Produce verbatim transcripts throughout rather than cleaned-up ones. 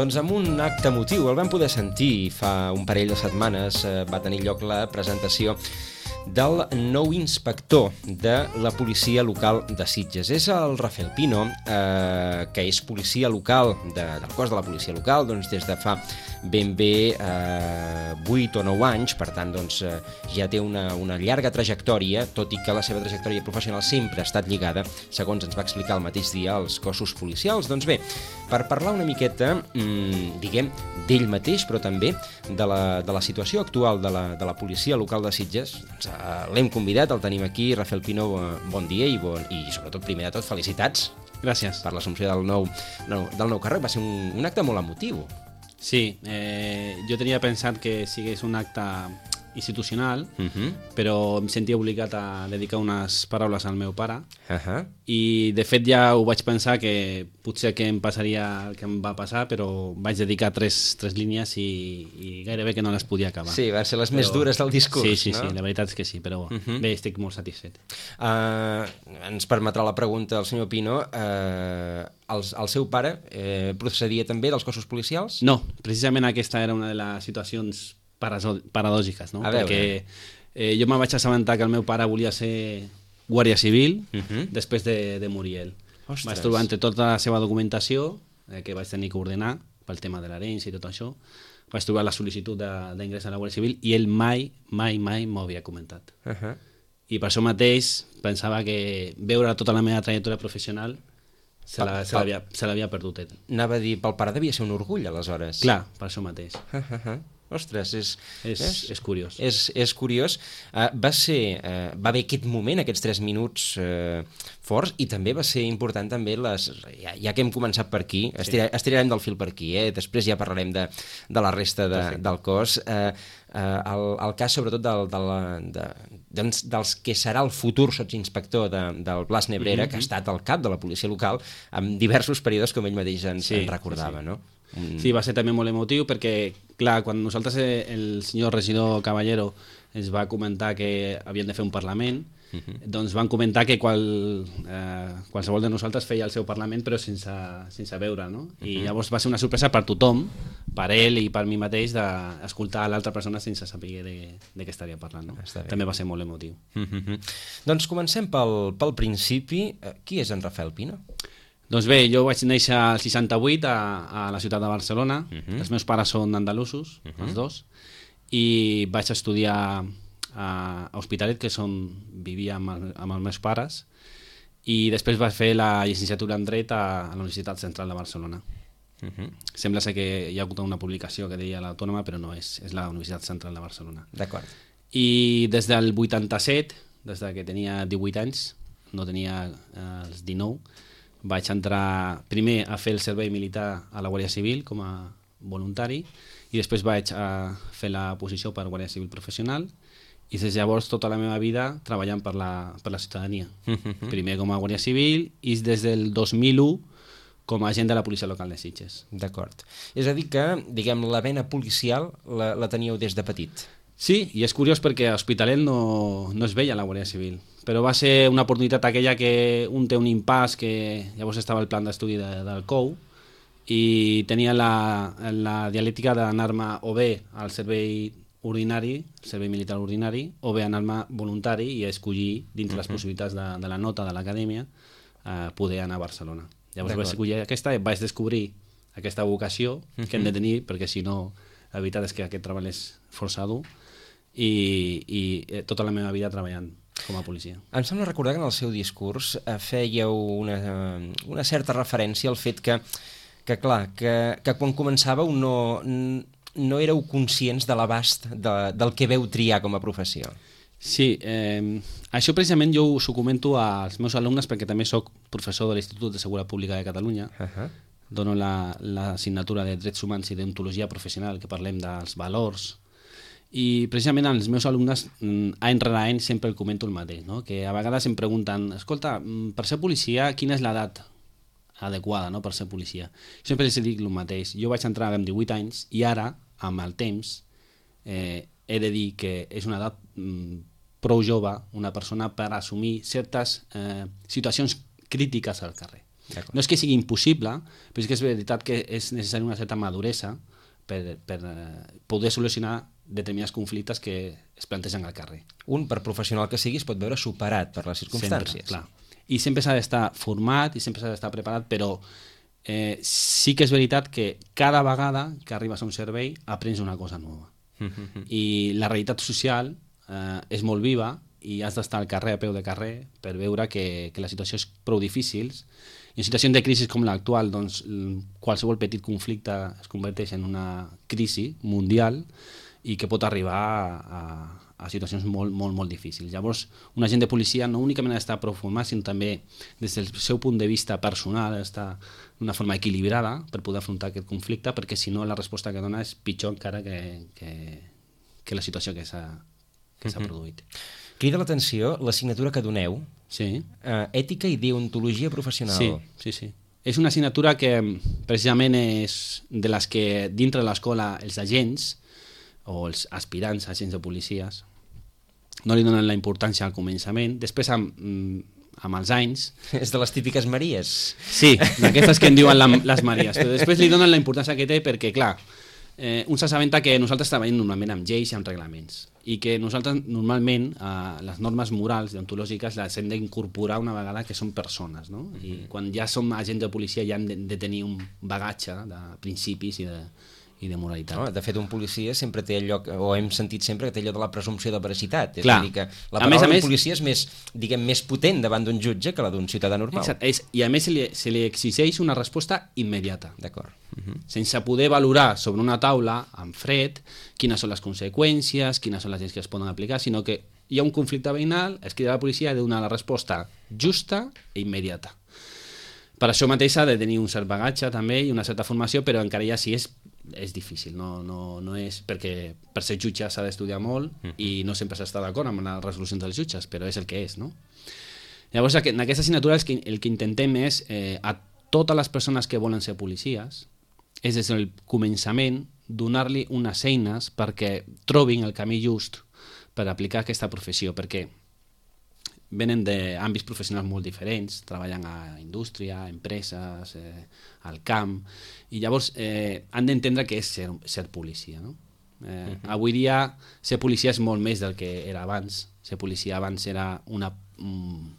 Doncs amb un acte emotiu, el vam poder sentir fa un parell de setmanes, eh, va tenir lloc la presentació del nou inspector de la policia local de Sitges. És el Rafael Pino, eh, que és policia local de, del cos de la policia local doncs, des de fa ben bé eh, vuit o nou anys, per tant doncs, eh, ja té una, una llarga trajectòria, tot i que la seva trajectòria professional sempre ha estat lligada, segons ens va explicar el mateix dia, als cossos policials. Doncs bé, per parlar una miqueta, mmm, diguem, d'ell mateix, però també de la, de la situació actual de la, de la policia local de Sitges, doncs, eh, l'hem convidat, el tenim aquí. Rafael Pino, bon dia i, bon, i sobretot, primer de tot, felicitats. Gràcies. Per l'assumpció del nou, no, del nou càrrec. Va ser un, un acte molt emotiu. Sí, eh, jo tenia pensat que sigués un acte institucional, uh-huh. però em sentia obligat a dedicar unes paraules al meu pare, uh-huh. i de fet ja ho vaig pensar que potser que em passaria el que em va passar, però vaig dedicar tres, tres línies i, i gairebé que no les podia acabar. Sí, van ser les però... més dures del discurs, sí, sí, no? Sí, la veritat és que sí, però uh-huh. bé, estic molt satisfet. Uh, ens permetrà la pregunta del senyor Pino. Uh, el, el seu pare eh, procedia també dels cossos policials? No, precisament aquesta era una de les situacions paradògiques, no? Perquè eh, jo me vaig assabentar que el meu pare volia ser guàrdia civil uh-huh. després de, de morir ell. Ostres. Vaig trobar entre tota la seva documentació, eh, que vaig tenir que ordenar pel tema de l'herència i tot això, vaig trobar la sol·licitud d'ingrés a la Guàrdia Civil i ell mai, mai, mai m'ho havia comentat. Uh-huh. I per això mateix pensava que veure tota la meva trajectòria professional se l'havia perdut ell. Anava a dir, pel pare devia ser un orgull, aleshores. Clar, per això mateix. Uh-huh. Ostres, és, és, és, és curiós. És, és curiós. Uh, va ser, uh, va haver aquest moment, aquests tres minuts uh, forts, i també va ser important també les... Ja, ja que hem començat per aquí, sí. estira, estirarem del fil per aquí, eh? Després ja parlarem de, de la resta de, del cos. Uh, uh, el, el cas sobretot del, del, de, de, dels que serà el futur sotsinspector de, del Blas Nebrera, mm-hmm. que ha estat al cap de la policia local en diversos períodes, com ell mateix ens, sí, ens recordava, sí, sí. no? Mm. Sí, va ser també molt emotiu perquè, clar, quan nosaltres, el senyor regidor Caballero ens va comentar que havien de fer un Parlament, uh-huh. doncs van comentar que qual, eh, qualsevol de nosaltres feia el seu Parlament però sense, sense veure, no? Uh-huh. I llavors va ser una sorpresa per tothom, per ell i per mi mateix, d'escoltar a l'altra persona sense saber de, de què estaria parlant, no? També va ser molt emotiu. Uh-huh. Doncs comencem pel, pel principi. Qui és en Rafael Pino? Doncs bé, jo vaig néixer al seixanta-vuit a, a la ciutat de Barcelona. Uh-huh. Els meus pares són andalusos, uh-huh. els dos, i vaig estudiar a, a Hospitalet, que és on vivia amb, el, amb els meus pares, i després vaig fer la llicenciatura en Dret a, a la Universitat Central de Barcelona. Uh-huh. Sembla ser que hi ha hagut una publicació que deia l'Autònoma, però no, és, és la Universitat Central de Barcelona. D'acord. I des del vuitanta-set, des que tenia divuit anys, no tenia eh, els dinou, vaig entrar primer a fer el servei militar a la Guàrdia Civil com a voluntari i després vaig a fer la posició per Guàrdia Civil professional i des de llavors tota la meva vida treballant per la, per la ciutadania. Uh-huh. Primer com a Guàrdia Civil i des del dos mil u com a agent de la policia local de Sitges. D'acord. És a dir que, diguem, la vena policial la, la teníeu des de petit. Sí, i és curiós perquè a Hospitalet no, no es veia la Guàrdia Civil, però va ser una oportunitat aquella que un té un impàs, que llavors estava el plan d'estudi de, del C O U, i tenia la, la dialèctica d'anar-me o bé al servei ordinari, servei militar ordinari, o bé anar-me voluntari i escollir, dintre uh-huh. les possibilitats de, de la nota de l'acadèmia, eh, poder anar a Barcelona. Llavors vaig escollir aquesta i vaig descobrir aquesta vocació uh-huh. que hem de tenir, perquè si no, la veritat és que aquest treball és força dur, i, i tota la meva vida treballant com a policia. Em sembla recordar que en el seu discurs eh, fèieu una, una certa referència al fet que, que clar, que, que quan començàveu no, no éreu conscients de l'abast de, del que veu triar com a professió. Sí, eh, això precisament jo us ho comento als meus alumnes perquè també sóc professor de l'Institut de Seguretat Pública de Catalunya. Uh-huh. Dono l'assignatura la, de Drets Humans i d'Ontologia Professional, que parlem dels valors. I precisament als meus alumnes, any rere any, sempre el comento el mateix, no? Que a vegades em pregunten, escolta, per ser policia, quina és l'edat adequada, no, per ser policia? Jo sempre els dic el mateix. Jo vaig entrar amb divuit anys i ara, amb el temps, eh, he de dir que és una edat mm, prou jove, una persona per assumir certes eh, situacions crítiques al carrer. No és que sigui impossible, però és que és veritat que és necessari una certa maduresa per, per poder solucionar determinats conflictes que es plantegen al carrer. Un, per professional que sigui, es pot veure superat per les circumstàncies. Sempre, clar. I sempre s'ha d'estar format i sempre s'ha d'estar preparat, però eh, sí que és veritat que cada vegada que arribes a un servei aprens una cosa nova. Mm-hmm. I la realitat social eh, és molt viva i has d'estar al carrer, a peu de carrer, per veure que, que la situació és prou difícil. I en situacions de crisi com l'actual, doncs, qualsevol petit conflicte es converteix en una crisi mundial i que pot arribar a, a situacions molt, molt, molt difícils. Llavors, un agent de policia no únicament ha d'estar prou format, sinó també des del seu punt de vista personal, ha d'estar d'una forma equilibrada per poder afrontar aquest conflicte, perquè si no la resposta que dona és pitjor encara que, que, que la situació que s'ha que s'ha Mm-hmm. produït. Crida l'atenció l'assignatura que doneu, Sí. eh, ètica i deontologia professional. Sí, sí, sí. És una assignatura que precisament és de les que dintre de l'escola els agents o els aspirants agents de policies no li donen la importància al començament, després amb, amb els anys... És de les típiques Maries. Sí, d'aquestes que en diuen la, les Maries, però després li donen la importància que té perquè, clar, eh, un s'assabenta que nosaltres treballem normalment amb lleis i amb reglaments i que nosaltres normalment eh, les normes morals deontològiques les hem d'incorporar una vegada que són persones, no? I quan ja som agents de policia ja hem de, de tenir un bagatge de principis i de, i de moralitat. No, de fet, un policia sempre té allò, o hem sentit sempre que té allò de la presumpció de veracitat. És Clar. a dir, que la A paraula més a d'un més- policia és més, diguem, més potent davant d'un jutge que la d'un ciutadà normal. Exacte. És, I a més se li, se li exigeix una resposta immediata, D'acord. Uh-huh. sense poder valorar sobre una taula, en fred, quines són les conseqüències, quines són les lleis que es poden aplicar, sinó que hi ha un conflicte veïnal, es crida a la policia i ha de donar la resposta justa i immediata. Per això mateix s'ha de tenir un cert bagatge també i una certa formació, però encara ja sí és, és difícil, no, no, no és perquè per ser jutge s'ha d'estudiar molt uh-huh. i no sempre s'està d'acord amb les resolucions dels jutges, però és el que és, no? Llavors, en aquesta assignatura el que, el que intentem és eh, a totes les persones que volen ser policies és des del començament donar-li unes eines perquè trobin el camí just per aplicar aquesta professió, perquè venen d'àmbits professionals molt diferents, treballen a indústria, a empreses, eh, al camp, i llavors eh, han d'entendre què és ser, ser policia, no? Eh, uh-huh. Avui dia ser policia és molt més del que era abans. Ser policia abans era una... Mm,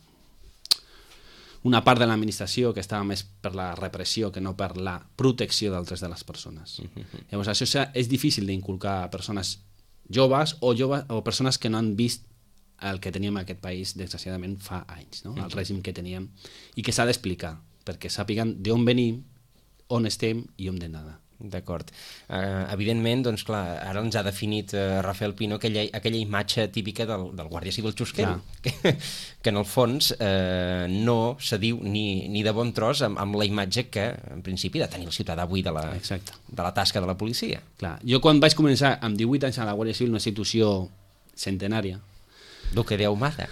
una part de l'administració que estava més per la repressió que no per la protecció d'altres de les persones. Uh-huh. Llavors això és difícil d'inculcar a persones joves o, joves o persones que no han vist el que teníem en aquest país desgraciadament fa anys, no? El règim que teníem i que s'ha d'explicar perquè sàpiguen d'on venim, on estem i on hem d'anar. D'acord. Uh, evidentment, doncs clar, ara ens ha definit uh, Rafael Pino aquella, aquella imatge típica del, del guàrdia civil xusquero, que, que en el fons uh, no s'adiu ni, ni de bon tros amb, amb la imatge que, en principi, ha de tenir el ciutadà avui de la, de la tasca de la policia. Clar. Jo quan vaig començar amb divuit anys a la Guàrdia Civil, una institució centenària, Duque de Ahumada.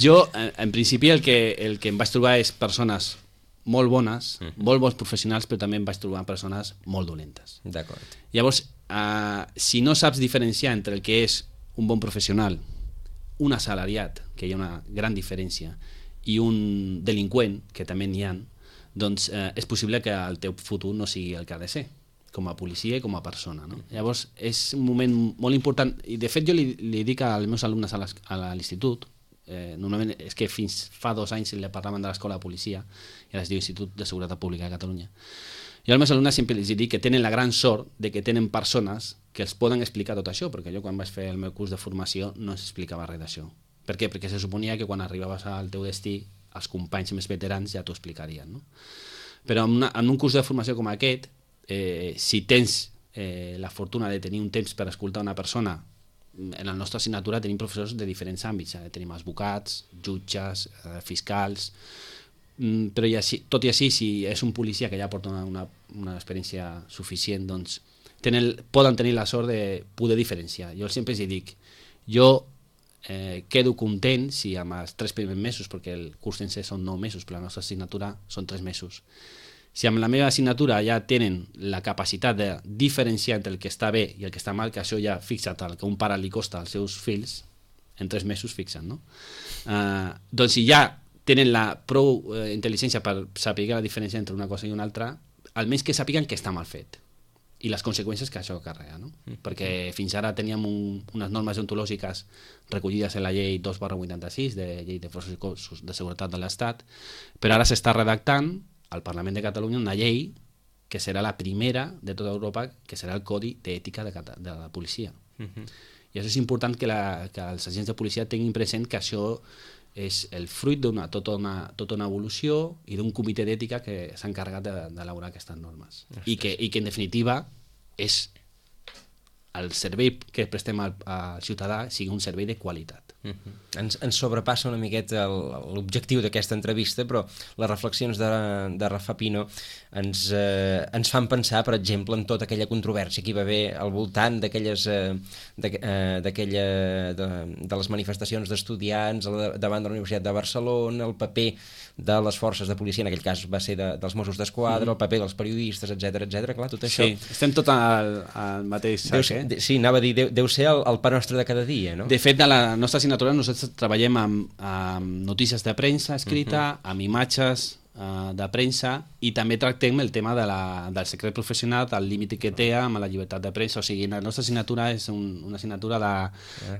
jo, en, en principi, el que, el que em vaig trobar és persones molt bones, uh -huh. molt bons professionals, però també em vaig trobar persones molt dolentes. D'acord. Llavors, eh, si no saps diferenciar entre el que és un bon professional, un assalariat, que hi ha una gran diferència, i un delinqüent, que també n'hi ha, doncs eh, és possible que el teu futur no sigui el que ha de ser, com a policia i com a persona, no? Llavors, és un moment molt important, i de fet jo li, li dic als meus alumnes a l'institut, eh, normalment és que fins fa dos anys li parlaven de l'escola de policia, i ara es diu Institut de Seguretat Pública de Catalunya. Jo als meus alumnes sempre els dic que tenen la gran sort de que tenen persones que els poden explicar tot això, perquè jo quan vaig fer el meu curs de formació no s'explicava res d'això. Per què? Perquè se suponia que quan arribaves al teu destí els companys més veterans ja t'ho explicarien, no? Però en, una, en un curs de formació com aquest, eh, si tens eh, la fortuna de tenir un temps per escoltar una persona, en la nostra assignatura tenim professors de diferents àmbits, eh? Tenim advocats, jutges, eh, fiscals, mm, però i així, tot i així, si és un policia que ja porta una, una, una experiència suficient, doncs tenen, poden tenir la sort de poder diferenciar. Jo sempre els dic, jo eh, quedo content si amb els tres primers mesos, perquè el curs sencer són nou mesos, però la nostra assignatura són tres mesos, si amb la meva assignatura ja tenen la capacitat de diferenciar entre el que està bé i el que està mal, que això ja fixa't el que un pare li costa als seus fills, en tres mesos fixen, no? Uh, doncs si ja tenen la prou eh, intel·ligència per saber la diferència entre una cosa i una altra, almenys que sàpiguen que està mal fet i les conseqüències que això carrega, no? Mm. Perquè fins ara teníem un, unes normes deontològiques recollides en la llei dos barra vuitanta-sis, de llei de forces i cossos de seguretat de l'Estat, però ara s'està redactant al Parlament de Catalunya una llei que serà la primera de tota Europa, que serà el Codi d'Ètica de, de la policia. Mm-hmm. I això és important que, la, que els agents de policia tinguin present que això és el fruit d'una tota, una, tota una evolució i d'un comitè d'ètica que s'ha encarregat d'elaborar aquestes normes. I que, I que, en definitiva, és el servei que prestem al, al ciutadà sigui un servei de qualitat. Uh-huh. Ens, ens sobrepassa una miqueta l'objectiu d'aquesta entrevista, però les reflexions de, de Rafa Pino ens, eh, ens fan pensar, per exemple, en tota aquella controvèrsia que hi va haver al voltant d'aquelles eh, d'aquella de, de les manifestacions d'estudiants davant de la Universitat de Barcelona, el paper de les forces de policia, en aquell cas va ser de, dels Mossos d'Esquadra, mm. el paper dels periodistes, etcètera, etcètera. Clar, tot això... Sí, estem tot al, al mateix sac, deu, eh? De, sí, anava a dir, deu, deu ser el, el pa nostre de cada dia, no? De fet, de la nostra assignatura nosaltres treballem amb, amb notícies de premsa escrita, uh-huh. amb imatges uh, de premsa, i també tractem el tema de la, del secret professional, del límit que té amb la llibertat de premsa. O sigui, la nostra assignatura és un, una assignatura de,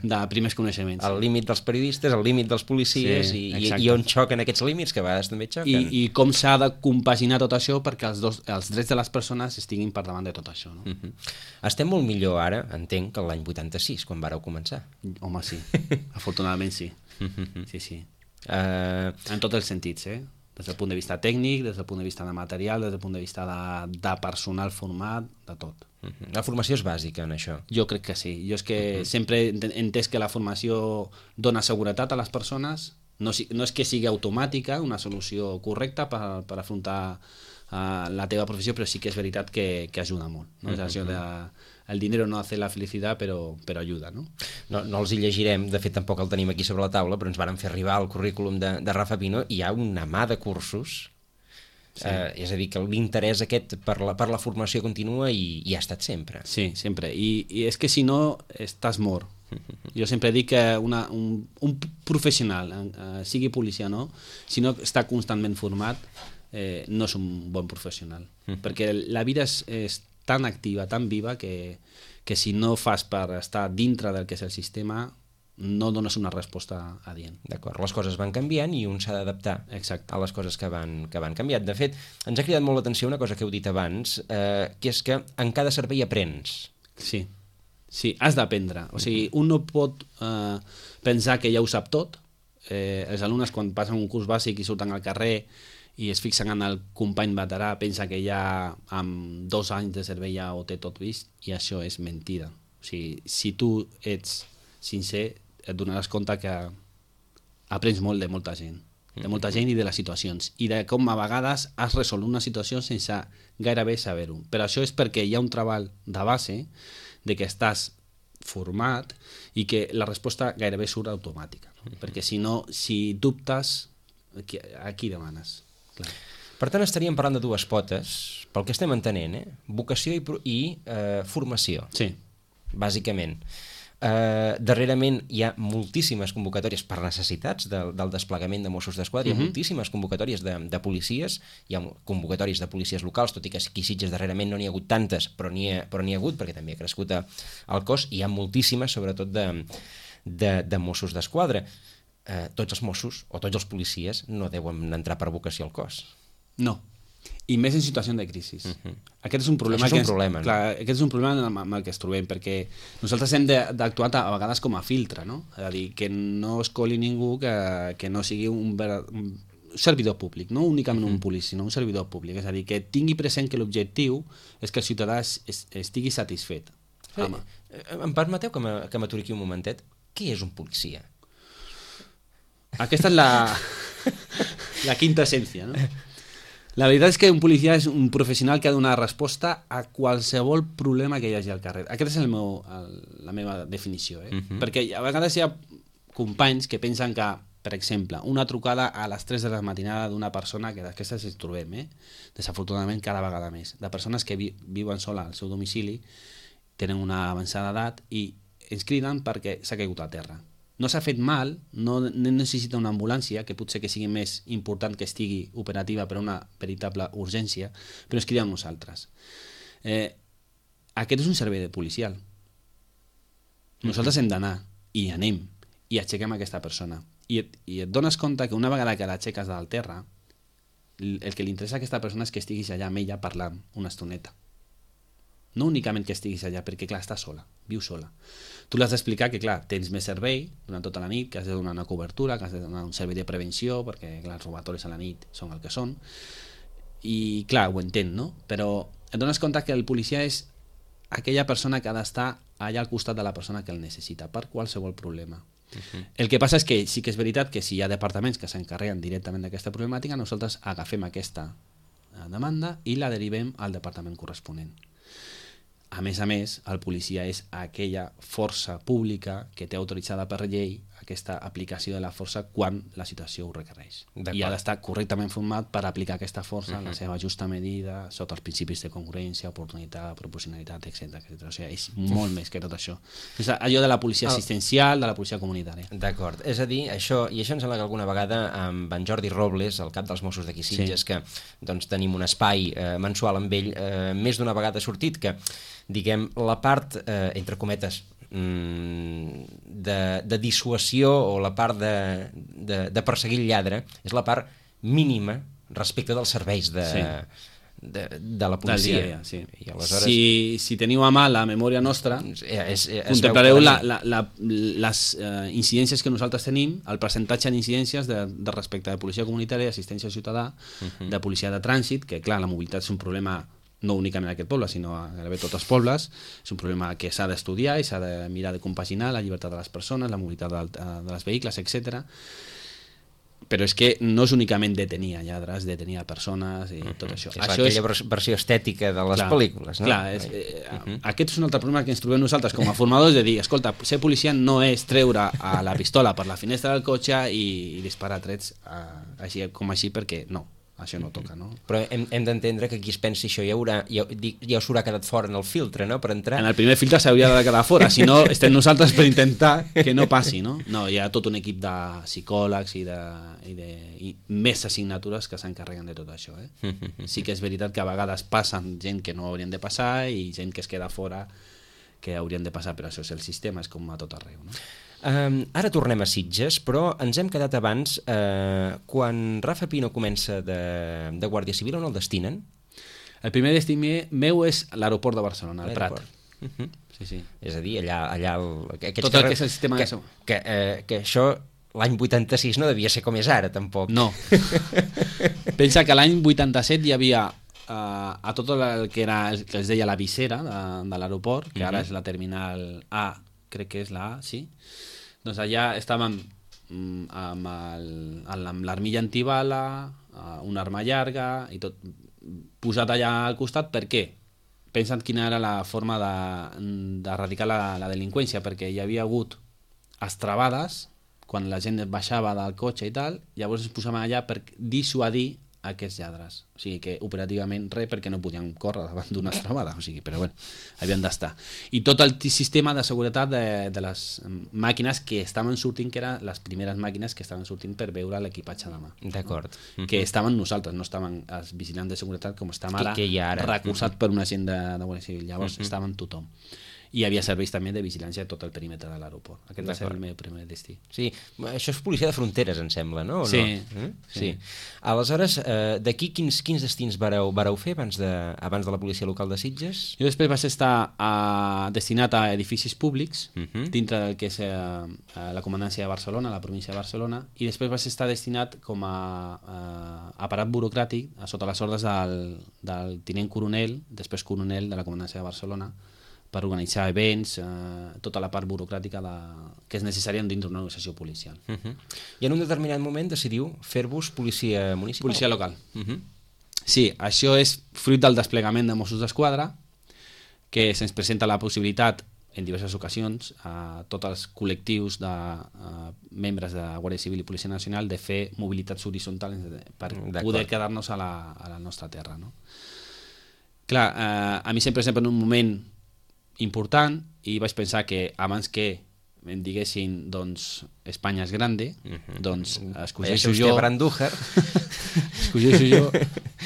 de primers coneixements. El límit dels periodistes, el límit dels policies, sí, i, i on xoquen aquests límits, que a vegades també xoquen. I, i com s'ha de compaginar tot això perquè els, dos, els drets de les persones estiguin per davant de tot això. No? Uh-huh. Estem molt millor ara, entenc, que l'any vuitanta-sis, quan vàreu començar. Home, sí. Afortunadament sí. Uh-huh. Sí, sí. Uh... En tots els sentits, eh? Des del punt de vista tècnic, des del punt de vista de material, des del punt de vista de, de personal format, de tot. Uh-huh. La formació és bàsica en això? Jo crec que sí. Jo és que uh-huh. sempre he entès que la formació dona seguretat a les persones, no, no és que sigui automàtica, una solució correcta per, per afrontar uh, la teva professió, però sí que és veritat que, que ajuda molt. No? Uh-huh. És això de... El dinero no hace la felicitat, però, però ajuda, no? no? No els hi llegirem, de fet tampoc el tenim aquí sobre la taula, però ens varen fer arribar al currículum de, de Rafa Pino, i hi ha una mà de cursos, sí. eh, és a dir, que l'interès aquest per la, per la formació continua i, i ha estat sempre. Sí, sempre, I, i és que si no estàs mort. Jo sempre dic que una, un, un professional, eh, sigui policia o no, si no està constantment format, eh, no és un bon professional, uh-huh. perquè la vida és, és tan activa, tan viva, que, que si no fas per estar dintre del que és el sistema, no dones una resposta adient. D'acord, les coses van canviant i un s'ha d'adaptar a les coses que van, que van canviant. De fet, ens ha cridat molt l'atenció una cosa que heu dit abans, eh, que és que en cada servei aprens. Sí, sí, has d'aprendre. O sigui, un no pot eh, pensar que ja ho sap tot. Eh, els alumnes, quan passen un curs bàsic i surten al carrer i es fixen en el company veterà, pensa que ja amb dos anys de servei ja ho té tot vist, i això és mentida. O sigui, si tu ets sincer, et donaràs compte que aprens molt de molta gent, de molta gent i de les situacions, i de com a vegades has resolt una situació sense gairebé saber-ho. Però això és perquè hi ha un treball de base de que estàs format i que la resposta gairebé surt automàtica. No? Perquè si no, si dubtes, a qui demanes? Clar. Per tant, estaríem parlant de dues potes, pel que estem entenent, eh? Vocació i, i eh, formació. Sí. Bàsicament. Eh, darrerament hi ha moltíssimes convocatòries per necessitats del, del desplegament de Mossos d'Esquadra, uh-huh. hi ha moltíssimes convocatòries de, de policies, hi ha convocatòries de policies locals, tot i que aquí a Sitges darrerament no n'hi ha hagut tantes, però n'hi ha, però n'hi ha hagut, perquè també ha crescut el cos, i hi ha moltíssimes, sobretot de, de, de Mossos d'Esquadra. Eh, tots els Mossos o tots els policies no deuen entrar per vocació al cos. No, i més en situació de crisi. Uh-huh. Aquest és un problema, Això és un que problema, és, clar, no? aquest és un problema amb el que es trobem, perquè nosaltres hem d'actuar a vegades com a filtre, no? És a dir, que no es coli ningú que, que no sigui un, un servidor públic, no únicament uh-huh. un policia, sinó un servidor públic. És a dir, que tingui present que l'objectiu és que el ciutadà es, es, estigui satisfet. Sí. Em permeteu que m'aturi aquí un momentet? Què és un policia? Aquesta és la, la quinta essència, no? La veritat és que un policia és un professional que ha de donar resposta a qualsevol problema que hi hagi al carrer. Aquesta és el meu, el, la meva definició, eh? Uh-huh. Perquè a vegades hi ha companys que pensen que, per exemple, una trucada a les tres de la matinada d'una persona, que d'aquestes ens trobem, eh? Desafortunadament cada vegada més, de persones que vi, viuen sola al seu domicili, tenen una avançada edat i ens criden perquè s'ha caigut a terra. no s'ha fet mal, no, no necessita una ambulància, que potser que sigui més important que estigui operativa per una veritable urgència, però ens cridem nosaltres. Eh, aquest és un servei de policial. Nosaltres hem d'anar, i anem, i aixequem aquesta persona. I et, i et dones compte que una vegada que l'aixeques del terra, el que li interessa a aquesta persona és que estiguis allà amb ella parlant una estoneta. No únicament que estiguis allà, perquè clar, està sola, viu sola. Tu l'has d'explicar que clar, tens més servei durant tota la nit, que has de donar una cobertura, que has de donar un servei de prevenció, perquè clar, els robatoris a la nit són el que són, i clar, ho entén, no? Però et dones compte que el policia és aquella persona que ha d'estar allà al costat de la persona que el necessita, per qualsevol problema. Uh-huh. El que passa és que sí que és veritat que si hi ha departaments que s'encarreguen directament d'aquesta problemàtica, nosaltres agafem aquesta demanda i la derivem al departament corresponent. A més a més, el policia és aquella força pública que té autoritzada per llei aquesta aplicació de la força quan la situació ho requereix. I ha d'estar correctament format per aplicar aquesta força en la seva justa medida, sota els principis de congruència, oportunitat, proporcionalitat, etcètera etcètera. O sigui, és molt més que tot això. És allò de la policia assistencial, de la policia comunitària. D'acord. És a dir, això, i això em sembla que alguna vegada amb en Jordi Robles, el cap dels Mossos d'aquí Sitges, sí. que doncs, tenim un espai eh, mensual amb ell, eh, més d'una vegada ha sortit que diguem, la part, eh, entre cometes, de, de dissuasió o la part de, de, de perseguir el lladre és la part mínima respecte dels serveis de, sí. de, de la policia. Dia, sí. I aleshores... si, si teniu a mà la memòria nostra, és, és, és contemplareu la, la, la, les uh, incidències que nosaltres tenim, el percentatge d'incidències de, de respecte de policia comunitària, assistència ciutadà, uh-huh. de policia de trànsit, que clar, la mobilitat és un problema no únicament en aquest poble, sinó a gairebé tots els pobles. És un problema que s'ha d'estudiar i s'ha de mirar de compaginar la llibertat de les persones, la mobilitat de, de les vehicles, etcètera. Però és que no és únicament detenir a lladres, detenir a persones i tot això. És això aquella és... versió estètica de les clar, pel·lícules, no? Clar, és, eh, uh-huh. aquest és un altre problema que ens trobem nosaltres com a formadors, de dir, escolta, ser policia no és treure a la pistola per la finestra del cotxe i, i disparar trets a, així com així, perquè no. Això no toca, no? Però hem, hem d'entendre que qui es pensi això ja, haurà, ja, ja us haurà quedat fora en el filtre, no?, per entrar. En el primer filtre s'hauria de quedar fora, si no estem nosaltres per intentar que no passi, no? No, hi ha tot un equip de psicòlegs i, de, i, de, i més assignatures que s'encarreguen de tot això, eh? Sí que és veritat que a vegades passen gent que no haurien de passar i gent que es queda fora que haurien de passar, però això és el sistema, és com a tot arreu, no? Um, ara tornem a Sitges, però ens hem quedat abans, eh, quan Rafa Pino comença de, de Guàrdia Civil, on el destinen? El primer destí meu és l'aeroport de Barcelona, el Prat. Uh-huh. Sí, sí. És a dir, allà... allà el, tot el que és el sistema que, de... Que, eh, que això l'any vuitanta-sis no devia ser com és ara, tampoc. No. Pensa que l'any vuitanta-set hi havia uh, a tot el que, era, el que es deia la visera de, de l'aeroport, que uh-huh. ara és la terminal A, crec que és la A, sí. Doncs allà estàvem amb, el, amb l'armilla antibala, una arma llarga i tot posat allà al costat. Per què? Pensant quina era la forma d'erradicar la, la delinqüència, perquè hi havia hagut estrabades quan la gent baixava del cotxe i tal, llavors es posaven allà per dissuadir aquests lladres. O sigui que operativament res, perquè no podien córrer davant d'una estrabada, o sigui, però bueno, havien d'estar. I tot el sistema de seguretat de, de les màquines que estaven sortint, que eren les primeres màquines que estaven sortint per veure l'equipatge de mà. D'acord. No? Mm-hmm. Que estaven nosaltres, no estaven els vigilants de seguretat com estem ara, que, que ara. recolzat mm-hmm. per una gent de, de Guàrdia Civil. Llavors mm-hmm. estaven tothom. I hi havia serveis també de vigilància de tot el perímetre de l'aeroport. Aquest va ser el meu primer destí. Sí, això és policia de fronteres, em sembla, no? O sí. No? Mm? sí. sí. Aleshores, eh, d'aquí quins, quins destins vareu, vareu fer abans de, abans de la policia local de Sitges? Jo després vaig estar a, destinat a edificis públics, uh-huh. dintre del que és eh, la comandància de Barcelona, la província de Barcelona, i després vaig estar destinat com a eh, aparat burocràtic a sota les ordres del, del tinent coronel, després coronel de la comandància de Barcelona, per organitzar events, eh, tota la part burocràtica de, que és necessària dintre d'una organització policial. Uh-huh. I en un determinat moment decidiu fer-vos policia municipal? Policia local. Uh-huh. Sí, això és fruit del desplegament de Mossos d'Esquadra, que se'ns presenta la possibilitat en diverses ocasions a tots els col·lectius de uh, membres de Guàrdia Civil i Policia Nacional de fer mobilitats horitzontals per poder quedar-nos a la, a la nostra terra. No? Clar, eh, a mi sempre sempre en un moment important i vaig pensar que abans que em diguessin, doncs, Espanya és grande, uh-huh. doncs escogeixo jo... Brandújar. escogeixo jo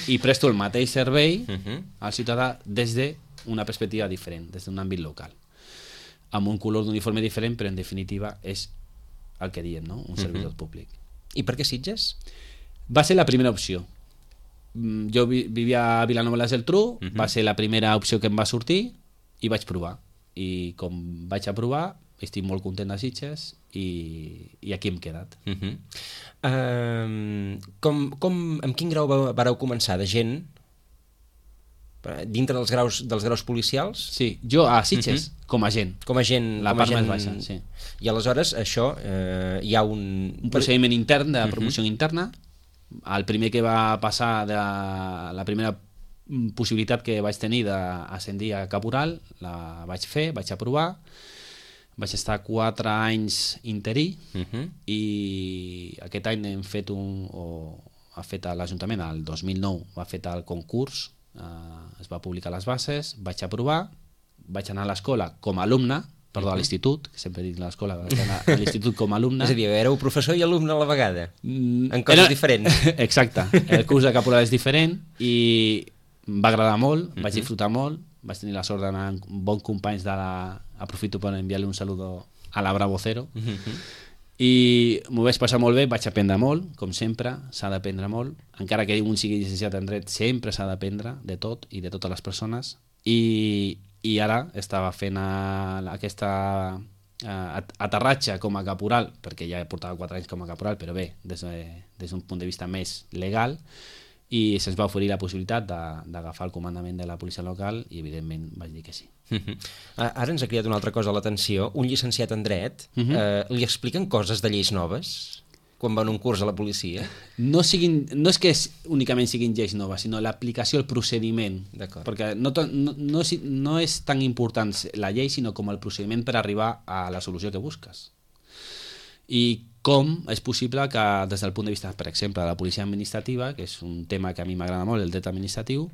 i presto el mateix servei uh-huh. al ciutadà des d'una perspectiva diferent, des d'un àmbit local. Amb un color d'uniforme diferent, però en definitiva és el que diem, no? Un servidor uh-huh. públic. I per què Sitges? Va ser la primera opció. Jo vivia a Vilanova i la Geltrú, uh-huh. va ser la primera opció que em va sortir i vaig provar. I com vaig aprovar, estic molt content de Sitges i, i aquí hem quedat. Uh-huh. uh, com, com, amb quin grau vareu començar? De gent? Dintre dels graus, dels graus policials? Sí, jo a Sitges, uh-huh. com a gent. Com a gent. La com part gent... més baixa, sí. I aleshores això, eh, hi ha un... Un procediment intern de promoció uh-huh. interna. El primer que va passar, de la primera possibilitat que vaig tenir d'ascendir a caporal, la vaig fer, vaig aprovar, vaig estar quatre anys interí uh-huh. i aquest any hem fet un, o ha fet l'Ajuntament, el dos mil nou va fet el concurs, eh, es va publicar les bases, vaig aprovar, vaig anar a l'escola com a alumne, perdó, a l'institut, que sempre dic l'escola, vaig anar a l'institut com a alumne. És a dir, éreu professor i alumne a la vegada, mm, en coses era... diferents. Exacte, el curs de caporal és diferent i em va agradar molt, uh-huh. vaig disfrutar molt, vaig tenir la sort d'anar amb bons companys de la... Aprofito per enviar-li un saludo a la Bravo Cero. Uh-huh. I m'ho vaig passar molt bé, vaig aprendre molt, com sempre, s'ha d'aprendre molt. Encara que un sigui llicenciat en dret, sempre s'ha d'aprendre de tot i de totes les persones. I, i ara estava fent a, a aquesta a, aterratge com a caporal, perquè ja portava quatre anys com a caporal, però bé, des, de, des d'un punt de vista més legal, i se'ns va oferir la possibilitat d'agafar el comandament de la policia local i evidentment vaig dir que sí. Uh-huh. Ara ens ha cridat una altra cosa a l'atenció. Un llicenciat en dret, uh-huh. eh, li expliquen coses de lleis noves quan van a un curs a la policia? No, siguin, no és que únicament siguin lleis noves, sinó l'aplicació, el procediment. Perquè no, no, no, no és tan important la llei, sinó com el procediment per arribar a la solució que busques. I com és possible que des del punt de vista, per exemple, de la policia administrativa, que és un tema que a mi m'agrada molt, el dret administratiu,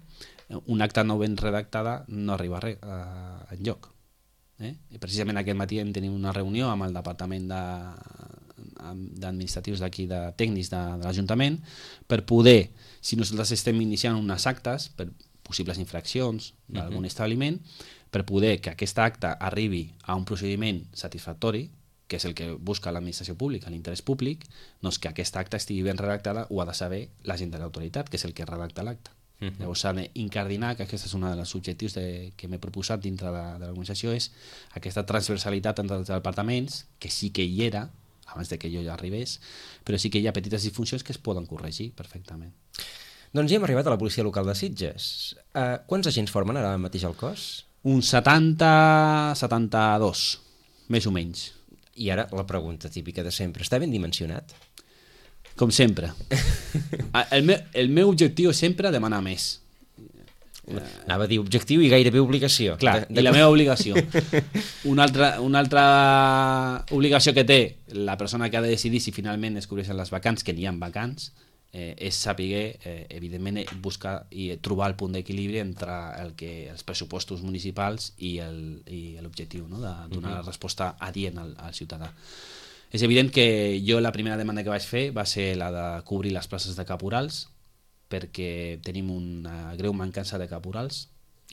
un acta no ben redactada no arriba a res, a, enlloc. Eh? I precisament aquest matí hem tenit una reunió amb el departament de, d'administratius d'aquí, de tècnics de, de l'Ajuntament, per poder, si nosaltres estem iniciant unes actes per possibles infraccions d'algun uh-huh. establiment, per poder que aquesta acta arribi a un procediment satisfactori, que és el que busca l'administració pública, l'interès públic, doncs que aquesta acta estigui ben redactada ho ha de saber la gent de l'autoritat, que és el que redacta l'acta. Uh-huh. Llavors s'ha d'incardinar, que aquest és un dels objectius de, que m'he proposat dintre de, de l'organització, és aquesta transversalitat entre els departaments, que sí que hi era, abans de que jo ja arribés, però sí que hi ha petites disfuncions que es poden corregir perfectament. Doncs ja hem arribat a la policia local de Sitges. Uh, quants agents formen ara mateix al cos? Un setanta, setanta-dos, més o menys. I ara la pregunta típica de sempre, està ben dimensionat? Com sempre. El meu, el meu objectiu és sempre demanar més. Anava a dir objectiu i gairebé obligació. Clar, de, de... i la meva obligació. Una altra, una altra obligació que té la persona que ha de decidir si finalment es cobreixen les vacants, que n'hi ha vacants, eh, és saber, eh, evidentment, buscar i trobar el punt d'equilibri entre el que, els pressupostos municipals i l'objectiu, no? de donar la resposta adient al, al ciutadà. És evident que jo la primera demanda que vaig fer va ser la de cobrir les places de caporals, perquè tenim una greu mancança de caporals.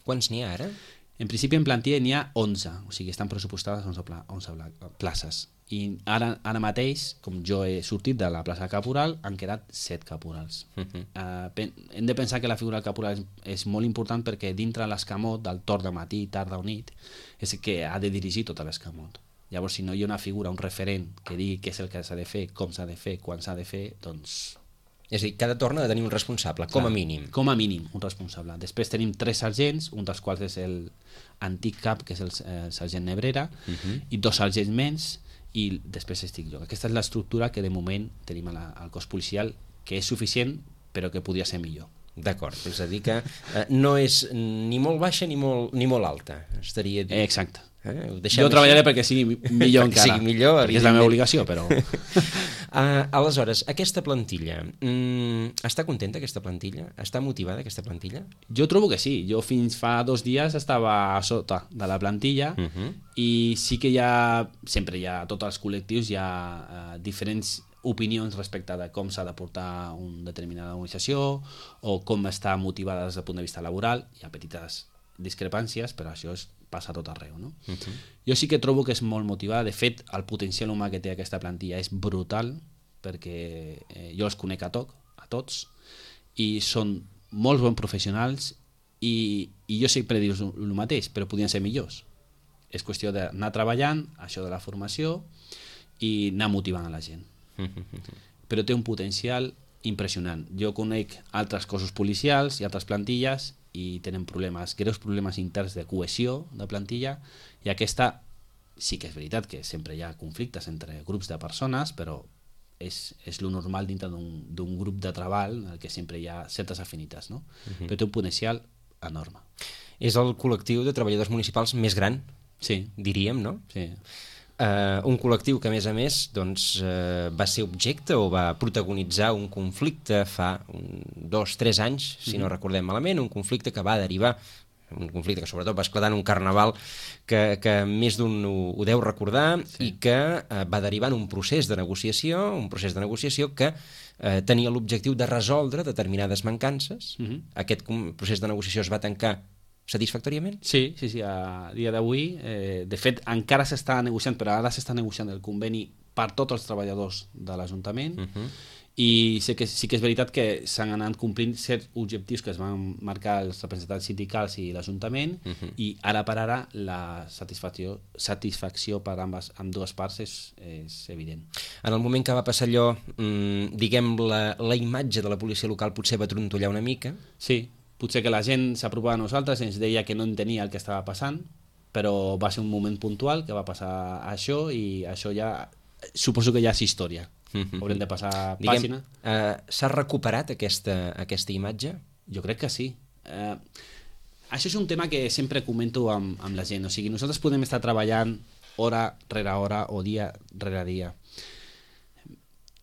Quants n'hi ha ara? En principi en plantilla n'hi ha onze, o sigui, estan pressupostades onze, onze places. I ara, ara mateix, com jo he sortit de la plaça de caporal, han quedat set caporals. Uh-huh. uh, hem de pensar que la figura del caporal és, és molt important perquè dintre l'escamot del torn de matí, tarda o nit, és el que ha de dirigir tot l'escamot. Llavors, si no hi ha una figura, un referent que digui què és el que s'ha de fer, com s'ha de fer, quan s'ha de fer, doncs... És a dir, cada torn ha de tenir un responsable, com a mínim. Com a mínim, un responsable. Després tenim tres sergents, un dels quals és l'antic cap, que és el, el sergent Nebrera, uh-huh. i dos sergents menys, i després estic jo. Aquesta és l'estructura que de moment tenim a la, al cos policial, que és suficient, però que podria ser millor. D'acord, és a dir que eh, no és ni molt baixa ni molt, ni molt alta. Estaria... Eh, exacte, Eh? Jo treballaré perquè sigui millor perquè encara, sigui millor, perquè és la meva obligació, però... uh, aleshores, aquesta plantilla, mm, està contenta aquesta plantilla? Està motivada aquesta plantilla? Jo trobo que sí. Jo fins fa dos dies estava a sota de la plantilla uh -huh. i sí que hi ha, sempre hi ha, a tots els col·lectius hi ha uh, diferents opinions respecte de com s'ha de portar una determinada organització o com està motivada des del punt de vista laboral. Hi ha petites discrepàncies, però això és, passa a tot arreu, no? Uh-huh. Jo sí que trobo que és molt motivada. De fet, el potencial humà que té aquesta plantilla és brutal, perquè eh, jo els conec a, toc, a tots i són molts bons professionals i, i jo sempre dius el mateix, però podien ser millors. És qüestió d'anar treballant, això de la formació, i anar motivant a la gent. Però té un potencial impressionant. Jo conec altres cossos policials i altres plantilles i tenen problemes, greus problemes interns de cohesió de plantilla, i aquesta sí que és veritat que sempre hi ha conflictes entre grups de persones, però és, és lo normal dintre d'un grup de treball en el que sempre hi ha certes afinitats, no? Uh-huh. Però té un potencial enorme. És el col·lectiu de treballadors municipals més gran, sí, diríem, no? Sí. Uh, un col·lectiu que a més a més doncs, uh, va ser objecte o va protagonitzar un conflicte fa un, dos, tres anys, si mm-hmm. no recordem malament, un conflicte que va derivar, un conflicte que sobretot va esclatar en un carnaval que, que més d'un ho, ho deu recordar, sí. i que uh, va derivar en un procés de negociació, un procés de negociació que uh, tenia l'objectiu de resoldre determinades mancances. Mm-hmm. Aquest procés de negociació es va tancar satisfactòriament? Sí, sí, sí, a dia d'avui. Eh, de fet, encara s'està negociant, però ara s'està negociant el conveni per tots els treballadors de l'Ajuntament, uh-huh. i sé que, sí que és veritat que s'han anat complint certs objectius que es van marcar els representants sindicals i l'Ajuntament, uh-huh. i ara per ara la satisfacció, satisfacció per ambes, amb dues parts és, és evident. En el moment que va passar allò, mmm, diguem, la, la imatge de la policia local potser va trontollar una mica? Sí, potser que la gent s'apropava a nosaltres i ens deia que no entenia el que estava passant, però va ser un moment puntual que va passar això, i això ja suposo que ja és història. Mm-hmm. Haurem de passar Diguem, pàgina. Uh, S'ha recuperat aquesta, aquesta imatge? Jo crec que sí. Uh, això és un tema que sempre comento amb, amb la gent. O sigui, nosaltres podem estar treballant hora rere hora o dia rere dia.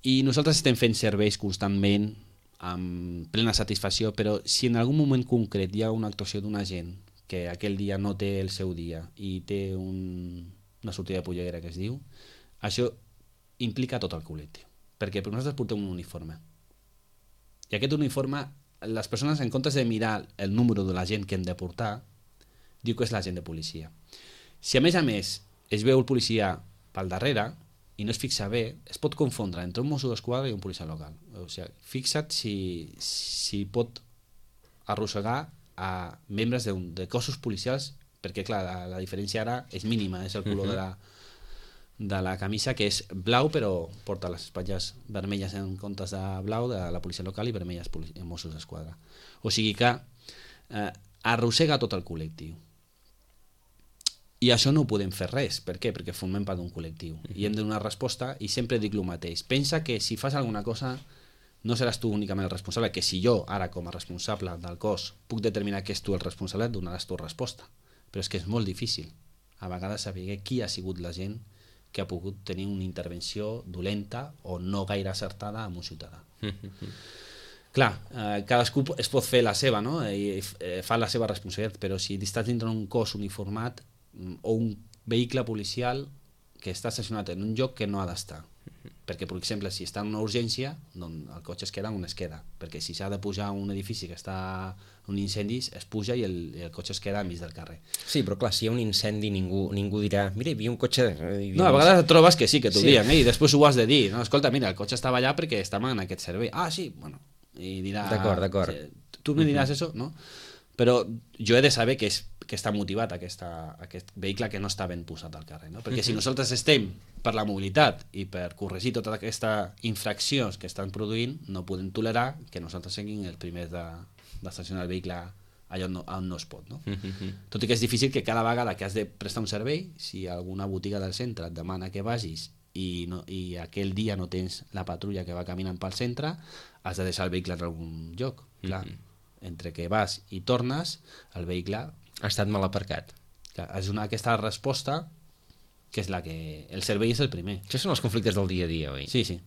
I nosaltres estem fent serveis constantment, amb plena satisfacció, però si en algun moment concret hi ha una actuació d'una gent que aquell dia no té el seu dia i té un, una sortida de polleguera que es diu, això implica tot el col·lectiu, perquè nosaltres portem un uniforme, i aquest uniforme, les persones, en comptes de mirar el número de la gent que hem de portar, diu que és la gent de policia. Si a més a més es veu el policia pel darrere i no es fixa bé, es pot confondre entre un mosso d'esquadra i un policia local. O sigui, fixa't si, si pot arrossegar a membres de, un, de cossos policials, perquè clar, la, la diferència ara és mínima, és el color uh-huh. de, la, de la camisa, que és blau, però porta les espatlles vermelles en comptes de blau de la policia local i vermelles en mossos d'esquadra. O sigui que eh, arrossega tot el col·lectiu. I això no ho podem fer res. Per què? Perquè formem part d'un col·lectiu i hem de donar resposta, i sempre dic el mateix. Pensa que si fas alguna cosa no seràs tu únicament el responsable, que si jo ara com a responsable del cos puc determinar que és tu el responsable, donaràs tu resposta. Però és que és molt difícil a vegades saber qui ha sigut la gent que ha pogut tenir una intervenció dolenta o no gaire acertada amb un ciutadà. Clar, eh, cadascú es pot fer la seva, no? I eh, fa la seva responsabilitat, però si estàs dintre d'un cos uniformat o un vehicle policial que està estacionat en un lloc que no ha d'estar, perquè per exemple si està en una urgència, doncs el cotxe es queda on es queda, perquè si s'ha de pujar a un edifici que està en un incendi es puja i el, el cotxe es queda enmig del carrer. Sí, però clar, si hi ha un incendi ningú, ningú dirà, mira, hi havia un cotxe... No, a vegades et trobes que sí, que t'ho sí. diuen, eh? I després ho has de dir, no, escolta, mira, el cotxe estava allà perquè estava en aquest servei. Ah, sí, bueno, i dirà... D'acord, d'acord. Tu me diràs uh-huh. això, no? Però jo he de saber que, és, que està motivat aquesta, aquest vehicle que no està ben posat al carrer, no? Perquè uh-huh. si nosaltres estem per la mobilitat i per corregir totes aquestes infraccions que estan produint, no podem tolerar que nosaltres siguin els primers de, d'estacionar el vehicle allà on no, on no es pot, no? Uh-huh. Tot i que és difícil que cada vegada que has de prestar un servei, si alguna botiga del centre et demana que vagis i, no, i aquell dia no tens la patrulla que va caminant pel centre, has de deixar el vehicle en algun lloc, clar. Uh-huh. Entre que vas i tornes, el vehicle... Ha estat mal aparcat. Clar, és una, aquesta resposta que és la que... El servei és el primer. Això són els conflictes del dia a dia, oi? Sí, sí.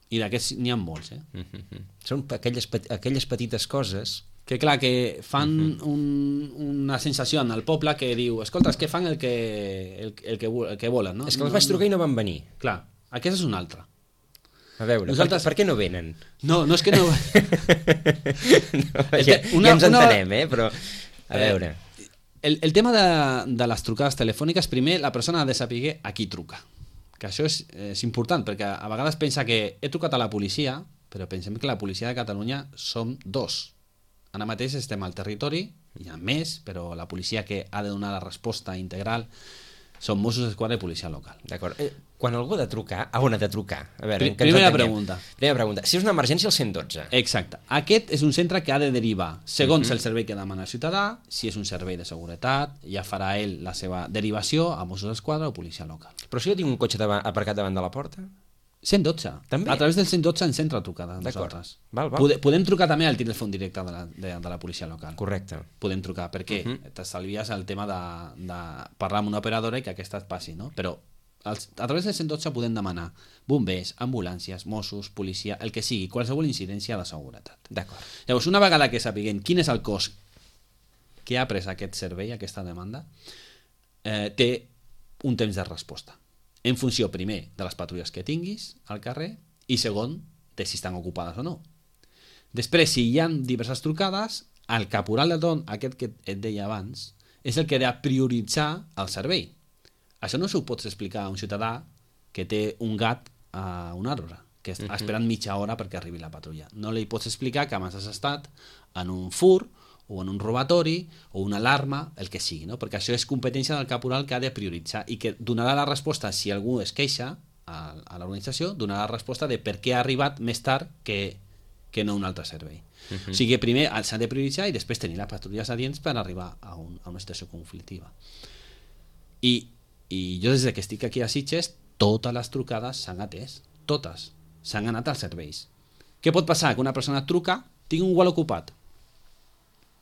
I d'aquests n'hi ha molts, eh? Uh -huh. Són aquelles, aquelles petites coses... Que clar, que fan uh -huh. un, una sensació en el poble que diu, escolta, és que fan el que, el, el que, el que volen, no? És que els vaig trucar i no van venir. Clar, aquest és un altre. A veure, Nosaltres... per, per què no venen? No, no és que no... no ja, una, ja ens entenem, una... eh? Però, a veure... Eh, el, el tema de, de les trucades telefòniques, primer la persona ha de saber a qui truca. Que això és, és important, perquè a vegades pensa que he trucat a la policia, però pensem que la policia de Catalunya som dos. Ara mateix estem al territori, hi ha més, però la policia que ha de donar la resposta integral són Mossos d'Esquadra i policia local. D'acord. Eh, quan algú ha de trucar, a on ha de trucar? A veure, Pr primera pregunta. Primera pregunta. Si és una emergència, el cent dotze. Exacte. Aquest és un centre que ha de derivar, segons uh -huh. el servei que demana el ciutadà, si és un servei de seguretat, ja farà ell la seva derivació a Mossos d'Esquadra o policia local. Però si jo tinc un cotxe davant, aparcat davant de la porta? cent dotze. També? A través del cent dotze ens entra la trucada. Nosaltres. Val, val. Podem, podem trucar també al telèfon directe de la, de, de la policia local. Correcte. Podem trucar, perquè uh -huh. t'estalvies el tema de, de parlar amb una operadora i que aquesta et passi, no? Però els, a través del cent dotze podem demanar bombers, ambulàncies, Mossos, policia, el que sigui, qualsevol incidència de seguretat. D'acord. Llavors, una vegada que sapiguem quin és el cost que ha pres aquest servei, aquesta demanda, eh, té un temps de resposta. En funció, primer, de les patrulles que tinguis al carrer i, segon, de si estan ocupades o no. Després, si hi ha diverses trucades, el caporal de torn, aquest que et deia abans, és el que ha de prioritzar el servei. Això no s'ho pots explicar a un ciutadà que té un gat a un arbre, que està esperant mitja hora perquè arribi la patrulla. No li pots explicar que abans has estat en un fur o en un robatori, o una alarma, el que sigui, no? Perquè això és competència del caporal que ha de prioritzar i que donarà la resposta, si algú es queixa a, a l'organització, donarà la resposta de per què ha arribat més tard que, que no un altre servei. Uh -huh. O sigui que primer s'ha de prioritzar i després tenir les patrulles adients per arribar a, un, a una situació conflictiva. I, I jo des que estic aquí a Sitges, totes les trucades s'han atès, totes, s'han anat als serveis. Què pot passar? Que una persona truca, tinc un gual ocupat.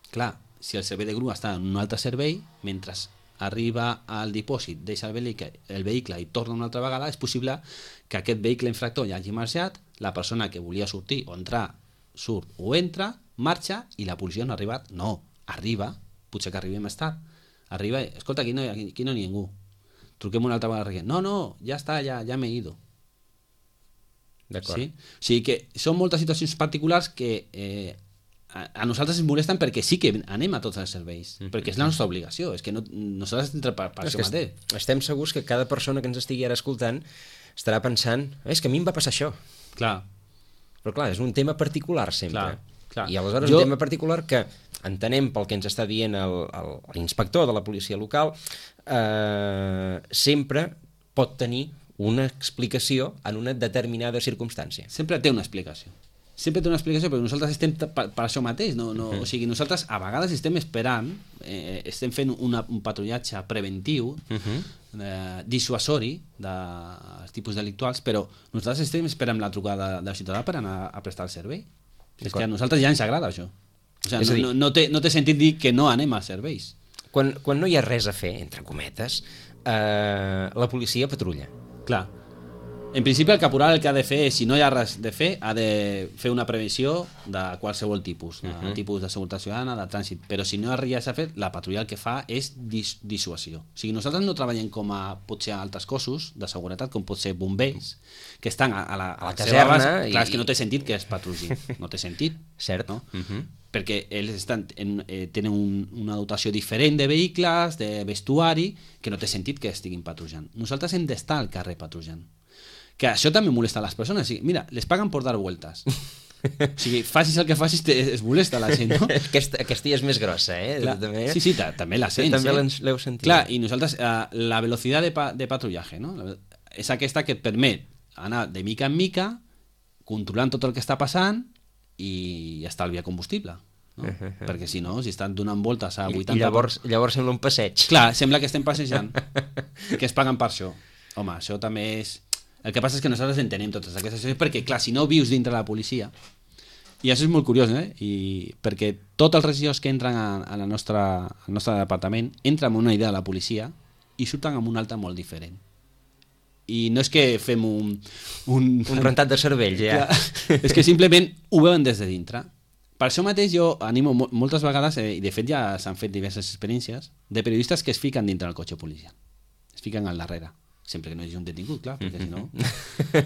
Clar, si el servei de grua està en un altre servei, mentre arriba al dipòsit, deixa el vehicle, el vehicle i torna una altra vegada, és possible que aquest vehicle infractor ja hagi marxat, la persona que volia sortir o entrar, surt o entra, marxa i la policia no ha arribat. No, arriba, potser que arribi més tard. Arriba, escolta, aquí no, aquí, aquí no hi ha ningú. Truquem una altra vegada. No, no, ja està, ja, ja m'he ido. D'acord. Sí? O sigui que són moltes situacions particulars que eh, a nosaltres ens molesten perquè sí que anem a tots els serveis, mm -hmm. perquè és la nostra obligació, és que no, nosaltres estem per, per això mateix. Estem segurs que cada persona que ens estigui ara escoltant estarà pensant, és que a mi em va passar això. Clar. Però clar, és un tema particular sempre. Clar, clar. I aleshores jo... un tema particular que entenem pel que ens està dient l'inspector de la policia local, eh, sempre pot tenir una explicació en una determinada circumstància. Sempre té una explicació. Sempre té una explicació, però nosaltres estem per, per això mateix, no? No, uh-huh. O sigui, nosaltres a vegades estem esperant, eh, estem fent una, un patrullatge preventiu, uh-huh. eh, dissuasori dels tipus delictuals, però nosaltres estem esperant la trucada del ciutadà per anar a prestar el servei. És que a nosaltres ja ens agrada això. O sigui, no, dir, no, no, té, no té sentit dir que no anem als serveis. Quan, quan no hi ha res a fer, entre cometes, eh, la policia patrulla. Clar. En principi el caporal el que ha de fer és, si no hi ha res de fer, ha de fer una prevenció de qualsevol tipus, de uh-huh. tipus de seguretat ciutadana, de trànsit, però si no hi ha res a fer, la patrulla el que fa és dis dissuasió. O sigui, nosaltres no treballem com a potser altres cossos de seguretat, com pot ser bombers, que estan a, a la, a la caserna. Base. Clar, és que no té sentit que es patrulli, no té sentit. Cert. No? Uh-huh. Perquè ells estan en, eh, tenen un, una dotació diferent de vehicles, de vestuari, que no té sentit que estiguin patrullant. Nosaltres hem d'estar al carrer patrullant. Que això també molesta a les persones. O sigui, mira, les paguen per dar vueltas. O sigui, facis el que facis, te, es molesta la gent, no? Aquesta, aquesta és més grossa, eh? Clar, també, sí, sí, també la sents. També eh? l'heu sentit. Clar, i nosaltres, eh, la velocitat de, pa, de patrullaje, no? És aquesta que et permet anar de mica en mica, controlant tot el que està passant i estalviar combustible. No? Uh -huh. Perquè si no, si estan donant voltes a vuitanta... I llavors, llavors sembla un passeig. Clar, sembla que estem passejant. Que es paguen per això. Home, això també és... El que passa és que nosaltres entenem totes aquestes coses, perquè, clar, si no vius dintre la policia, I això és molt curiós, eh? I perquè tots els regidors que entren a, a la nostra, al nostre departament entren amb una idea de la policia i surten amb una altra molt diferent. I no és que fem un... Un, un rentat de cervell, ja. Clar, és que simplement ho veuen des de dintre. Per això mateix jo animo moltes vegades, eh, i de fet ja s'han fet diverses experiències, de periodistes que es fiquen dintre del cotxe policial. Es fiquen al darrere. Sempre que no hi hagi un detingut, clar, perquè si no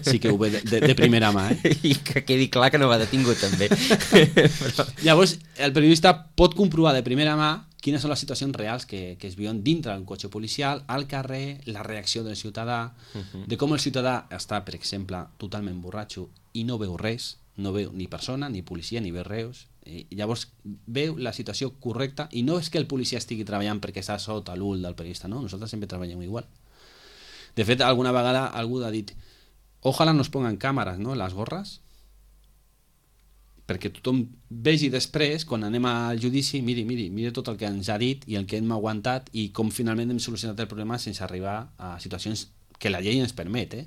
sí que ho ve de, de, de primera mà. Eh? I que quedi clar que no va detingut, també. Però... Llavors, el periodista pot comprovar de primera mà quines són les situacions reals que, que es viuen dintre d'un cotxe policial, al carrer, la reacció del ciutadà, uh -huh. de com el ciutadà està, per exemple, totalment borratxo i no veu res, no veu ni persona, ni policia, ni veu res. I llavors veu la situació correcta i no és que el policia estigui treballant perquè està sota l'ull del periodista, no, nosaltres sempre treballem igual. De fet, alguna vegada algú ha dit ojalà nos pongan càmeres, no?, les gorres, perquè tothom vegi després, quan anem al judici, miri, miri, miri tot el que ens ha dit i el que hem aguantat i com finalment hem solucionat el problema sense arribar a situacions que la llei ens permet, eh?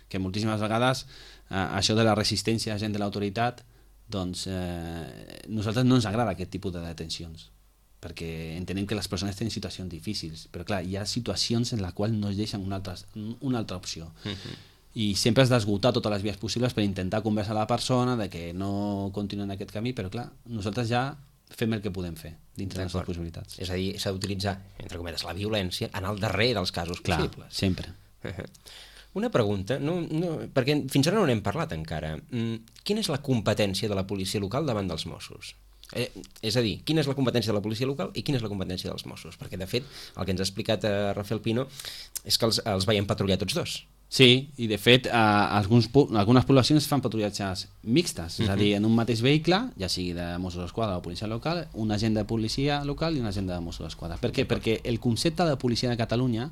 Que moltíssimes vegades eh, això de la resistència a gent de l'autoritat, doncs eh, nosaltres no ens agrada aquest tipus de detencions, perquè entenem que les persones tenen situacions difícils, però clar, hi ha situacions en les quals no es deixen una altra, una altra opció. Uh-huh. I sempre has d'esgotar totes les vies possibles per intentar conversar a la persona de que no continuï en aquest camí, però clar, nosaltres ja fem el que podem fer dintre de les nostres possibilitats. És a dir, s'ha d'utilitzar, entre cometes, la violència en el darrer dels casos clar, possibles. Sempre. Una pregunta, no, no, perquè fins ara no n'hem parlat encara. Quina és la competència de la policia local davant dels Mossos? Eh, és a dir, quina és la competència de la policia local i quina és la competència dels Mossos? Perquè, de fet, el que ens ha explicat eh, Rafael Pino és que els, els veiem patrullar tots dos. Sí, i de fet, eh, alguns, algunes poblacions fan patrullatges mixtes, uh-huh. És a dir, en un mateix vehicle, ja sigui de Mossos d'Esquadra o policia local, un agent de policia local i un agent de Mossos d'Esquadra. Per què? Perquè el concepte de policia de Catalunya,